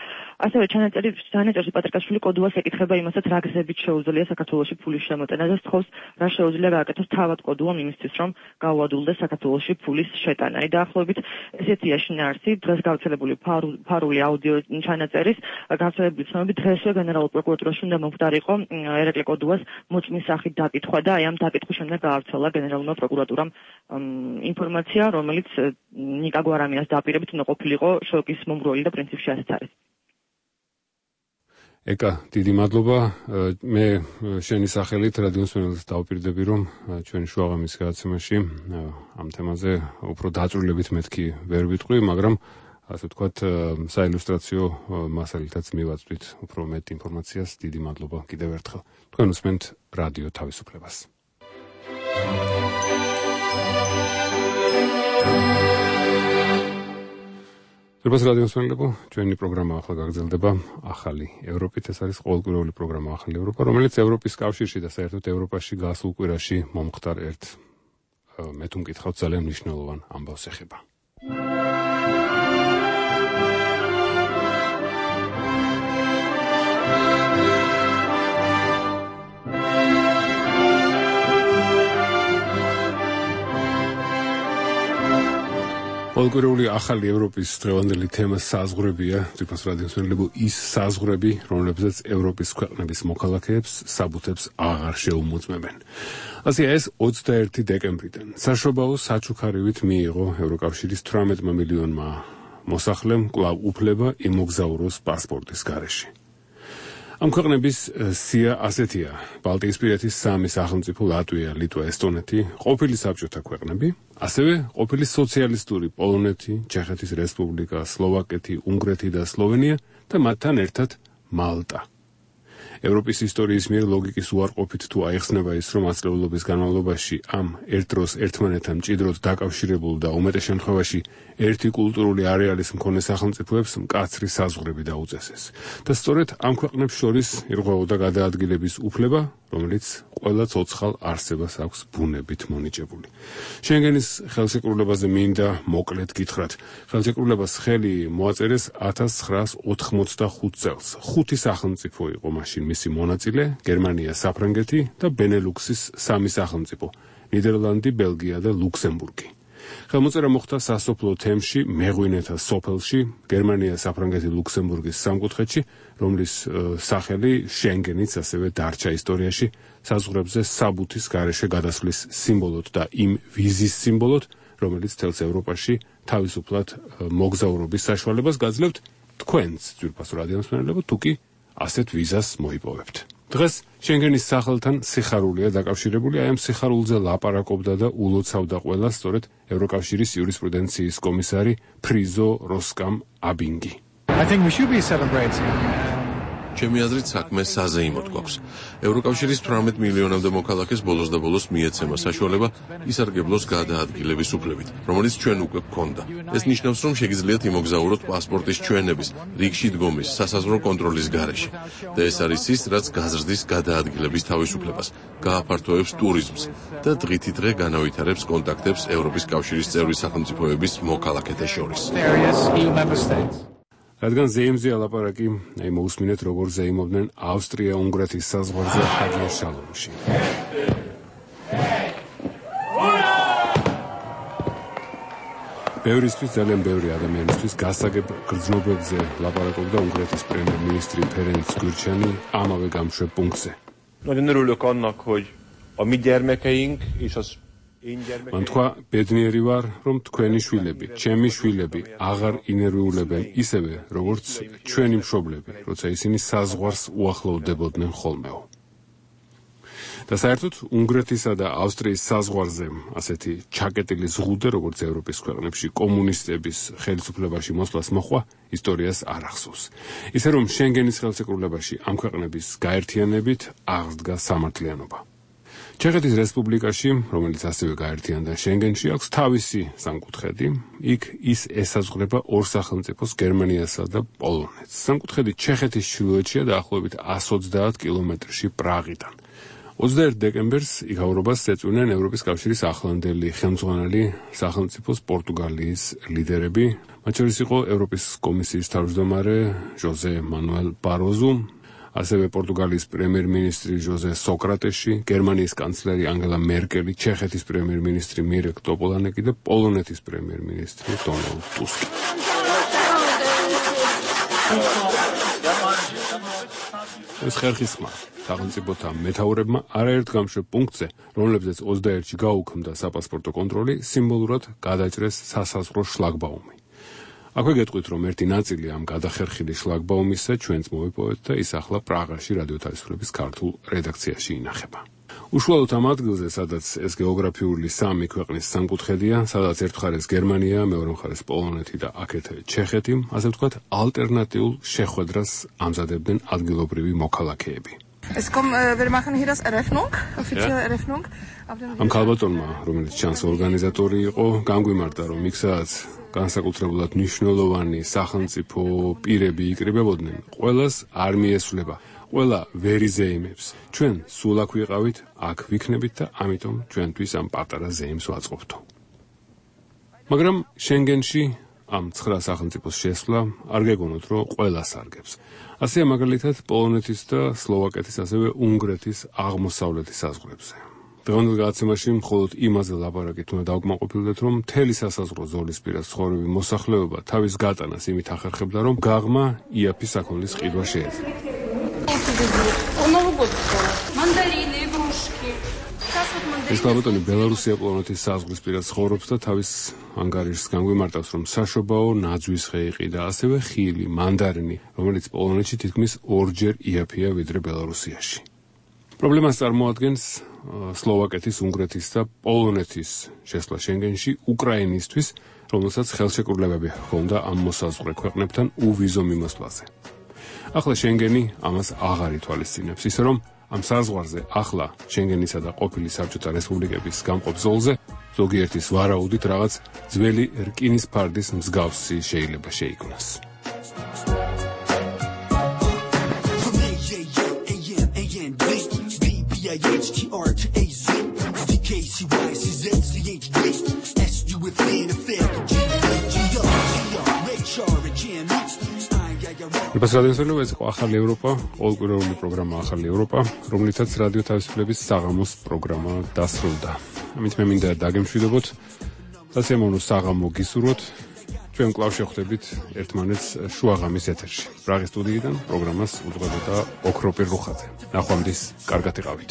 Speaker 11: ასევე ჩანაწერში პატაკაშვილი კოდუას ეკითხება იმასაც, რა გზებით შეუძლია საქართველოში ფულის შემოტანა და სთხოვს, რა შეუძლია გააკეთოს თავად კოდუამ იმისთვის, რომ გაუადვილდეს საქართველოში ფულის შეტანა. აი დაახლოებით ესეთია შინაარსი დღეს გავრცელებული ფარული აუდიო ჩანაწერის. გავრცელებული ცნობებით დღესვე გენერალურ პროკურატურაში უნდა მომხდარიყო ერეკლე კოდუას მოწმის სახით დაკითხვა და აი ამ დაკითხვის შემდეგ გაავრცელა გენერალურმა პროკურატურამ ინფორმაცია, რომელიც ნიკა გვარამიას დაპირებით უნდა ყოფილიყო შოკის მომგვრელი და პრინციპში ასეც არის.
Speaker 1: ეკა, დიდი მადლობა. მე შენი სახელით რადიო მსმენელს დავპირდები, რომ ჩვენი შუაღამის გადაცემაში ამ თემაზე უფრო დაწვრილებით მეთქი ვერ ვიტყვი, მაგრამ ასე ვთქვათ, საილუსტრაციო მასალითაც მივაწვდით უფრო მეტ ინფორმაციას. დიდი მადლობა კიდევ ერთხელ. თქვენ უსმენთ რადიო თავისუფლებას. ძვირფას რადიო მსმენელებო, ჩვენი პროგრამა ახლა გაგრძელდება ახალი ევროპით. ეს არის ყოველკვირეული პროგრამა ახალი ევროპა, რომელიც ევროპის კავშირში და საერთოდ ევროპაში გასულ კვირაში მომხდარ ერთ მე თუ მკითხავთ ძალიან მნიშვნელოვან ამბავს ეხება. ყოველკვირეული ახალი ევროპის დღევანდელი თემა საზღვრებია, ძვირფას რადიო მსმენელებო, ის საზღვრები, რომლებზეც ევროპის ქვეყნების მოქალაქეებს საბუთებს აღარ შეუმოწმებენ. ასე ეს ოცდაერთი დეკემბრიდან საშობაო საჩუქარივით მიიღო ევროკავშირის თვრამეტმა მილიონმა მოსახლემ კვლავ უფლება იმოგზაუროს პასპორტის გარეშე. ამ ქვეყნების სია ასეთია: ბალტიისპირეთის სამი სახელმწიფო ლატვია, ლიტვა, ესტონეთი, ყოფილი საბჭოთა ქვეყნები, ასევე ყოფილი სოციალისტური პოლონეთი, ჩეხეთის რესპუბლიკა, სლოვაკეთი, უნგრეთი და სლოვენია და მათთან ერთად მალტა. ევროპის ისტორიის მიერ ლოგიკის უარყოფით თუ აიხსნება ის, რომ ათწლეულობის განმავლობაში ამ ერთ დროს ერთმანეთთან მჭიდროდ დაკავშირებულ და უმეტეს შემთხვევაში ერთი კულტურული არეალის მქონე სახელმწიფოებს მკაცრი საზღვრები დაუწესეს. და სწორედ ამ ქვეყნებს შორის ირღვეოდა გადაადგილების უფლება, რომელიც ყველა ცოცხალ არსებას აქვს ბუნებით მონიჭებული. შენგენის ხელშეკრულებაზე მინდა მოკლედ გითხრათ. ხელშეკრულებას ხელი მოაწერეს ათას ცხრაას ოთხმოცდახუთ წელს. ხუთი სახელმწიფო იყო მაშინ მისი მონაწილე: გერმანია, საფრანგეთი და ბენელუქსის სამი სახელმწიფო: ნიდერლანდი, ბელგია და ლუქსემბურგი. ხელმოწერა მოხდა სასოფლო თემში, მეღვინეთა სოფელში, გერმანია, საფრანგეთი, ლუქსემბურგის სამკუთხედში, რომლის სახელი შენგენიც ასევე დარჩა ისტორიაში საზღვრებზე საბუთის გარეშე გადასვლის სიმბოლოდ და იმ ვიზის სიმბოლოდ, რომელიც თელს ევროპაში თავისუფლად მოგზაურობის საშუალებას გაძლევთ თქვენს ძვირფასო რადიომსმენელებო, თუ კი ასეთ ვიზას მოიპოვებთ. დღეს შენგენის სახელთან სიხარულია დაკავშირებული, აი ამ სიხარულზე ლაპარაკობდა და ულოცავდა ყველა სწორედ ევროკავშირის იურისპრუდენციის კომისარი ფრიზო როსკამ აბინგი.
Speaker 12: I think we should be celebrating.
Speaker 13: ჩემი აზრით საქმე საზეიმოდ გვაქვს. ევროკავშირის თვრამეტ მილიონამდე მოქალაქეს ბოლოს და ბოლოს მიეცემა საშუალება ისარგებლოს გადაადგილების უფლებით, რომელიც ჩვენ უკვე გვქონდა. ეს ნიშნავს, რომ შეგიძლიათ იმოგზაუროთ პასპორტის ჩვენების, რიგში დგომის, სასაზღვრო კონტროლის გარეშე. და ეს არის ის, რაც გაზრდის გადაადგილების თავისუფლებას, გააფართოვებს ტურიზმს და დღითი დღე განავითარებს კონტაქტებს ევროპის კავშირის წევრი სახელმწიფოების მოქალაქეთა შორის.
Speaker 1: რადგან ზეიმზეა ლაპარაკი, აი მოусმინეთ როგორ ზეიმობდნენ ავსტრია-უნგრეთის საზღვარზე ჰაგია შალომში. ბევრისთვის, ძალიან ბევრი ადამიანისთვის გასაგებ გრძნობებზე ლაპარაკობდა უნგრეთის პრემიერ-მინისტრი ფერენც გურჩანი ამავე გამშვებ პუნქტზე.
Speaker 15: Nagyon örülök annak, hogy a mi gyermekeink és az
Speaker 1: მან თქვა, ბედნიერი ვარ, რომ თქვენი შვილები, ჩემი შვილები აღარ ინერვიულებენ ისევე, როგორც ჩვენი მშობლები, როცა ისინი საზღვარს უახლოვდებოდნენ ხოლმეო. და საერთოდ უნგრეთისა და ავსტრიის საზღვარზე ასეთი ჩაკეტილი ზღუდე, როგორც ევროპის ქვეყნებში კომუნისტების ხელისუფლებაში მოსვლას მოხვა, ისტორიას არ ახსოვს. ისე რომ შენგენის ხელშეკრულებაში ამ ქვეყნების გაერთიანებით აღსდგა სამართლიანობა. ჩეხეთის რესპუბლიკაში, რომელიც ასევე გაერთიანდა შენგენში, აქვს თავისი სამკუთხედი. იქ ის ესაზღვრება ორ სახელმწიფოს, გერმანიასა და პოლონეთს. სამკუთხედი ჩეხეთის ჩრდილოეთშია დაახლოებით εκατს ოცდაათ კილომეტრში პრაღიდან. ოცდაერთ დეკემბერს იქაურობას ეწვნენ ევროპის კავშირის ახლანდელი ხელმძღვანელი სახელმწიფოს პორტუგალიის ლიდერები, მათ შორის იყო ევროპის კომისიის თავმჯდომარე ჟოზე მანუელ ბაროზუ, ასევე პორტუგალიის პრემიერ-მინისტრი ჟოზე სოკრატეში, გერმანიის კანცლერი ანგელა მერკელი, ჩეხეთის პრემიერ-მინისტრი მირეკ ტოპოლანეკი და პოლონეთის პრემიერ-მინისტრი დონალდ ტუსკი. ეს ხერხისმა სახელმწიფოთა მეთაურებმა არაერთ გამშვებ პუნქტზე, რომლებზეც ოცდაერთში გაუქმდა საპასპორტო კონტროლი, სიმბოლურად გადაჭრეს სასაზღვრო შლაგბაუმი. აქვე გეტყვით, რომ ერთი ნაწილი ამ გადახერხილი შლაგბაუმისა ჩვენც მოვიპოვეთ და ის ახლა პრაღაში რადიო თავისუფლების ქართულ რედაქციაში ინახება. უშუალოდ ამ ადგილზე, სადაც ეს გეოგრაფიული სამი ქვეყნის სამკუთხედია, სადაც ერთ მხარეს გერმანია, მეორე მხარეს პოლონეთი და აქეთ ჩეხეთი, ასე ვთქვათ, ალტერნატიულ შეხვედრას ამზადებდნენ ადგილობრივი მოქალაქეები.
Speaker 17: Es kommt, äh, wir machen hier das Eröffnung, offizielle
Speaker 1: Ja.
Speaker 17: Eröffnung.
Speaker 1: ამ ქალბატონმა, რომელიც ჩანს ორგანიზატორი იყო, განგვიმარტა, რომ იქ სადაც განსაკუთრებულად მნიშვნელოვანი სახელმწიფო პირები იკრიბებოდნენ, ყველას არ მიესვლება, ყველა ვერ იზეიმებს. ჩვენ სულ აქ ვიყავით, აქ ვიქნებით და ამიტომ ჩვენთვის ამ პატარა ზეიმს ვაწყობთო. მაგრამ შენგენში ამ ცხრა სახელმწიფოს შესვლა არ გეგონოთ, რომ ყველას არგებს. ასეა მაგალითად პოლონეთის და სლოვაკეთის, ასევე უნგრეთის აღმოსავლეთის საზღვრებზე. დღევანდელ გადაცემაში მხოლოდ იმაზე ლაპარაკით უნდა დავკმაყოფილდეთ, რომ მთელი სასაზღვრო ზოლისპირას ცხოვრები მოსახლეობა თავის გატანას იმით ახერხებდა, რომ გაღმა იაფი საქონლის ყიდვა შეეძლო.
Speaker 24: Мандарины, игрушки. Сейчас вот мы
Speaker 1: ეს ქალბატონი ბელარუსია პოლონეთის საზღვრისპირას ცხოვრობს და თავის ანგარიშს განგვიმარტავს, რომ საშობაო ნაძვის ხე იყიდა, ასევე ხილი, მანდარინი, რომელიც პოლონეთში თითქმის ორჯერ იაფია ვიდრე ბელარუსიაში. პრობლემას წარმოადგენს სლოვაკეთის, უნგრეთის და პოლონეთის შესვლა შენგენში უკრაინისთვის, რომელსაც ხელშეკრულებები ჰქონდა ამ მოსაზღვრე ქვეყნებთან უვიზო მიმოსვლაზე. ახლა შენგენი ამას აღარ ითვალისწინებს, ისე რომ ამ საზღვარზე ახლა შენგენისა და ყოფილი საბჭოთა რესპუბლიკების გამყოფ ზოლზე ზოგიერთის ვარაუდით რაღაც ძველი რკინის ფარდის მსგავსი შეიძლება შეიქმნას. რადიოსელო ეს იყო ახალი ევროპა, ყოველკვირეული პროგრამა ახალი ევროპა, რომლითაც რადიო თავისუფლების საღამოს პროგრამა დასრულდა. ამით მე მინდა დაგემშვიდობოთ, სასიამოვნო საღამო გისურვოთ. ჩვენ კვლავ შევხვდებით ერთმანეთს შუაღამის ეთერში. პრაღის სტუდიიდან პროგრამას უძღვებოდა ოქროპირ რუხაძე. ნახვამდის, კარგად იყავით.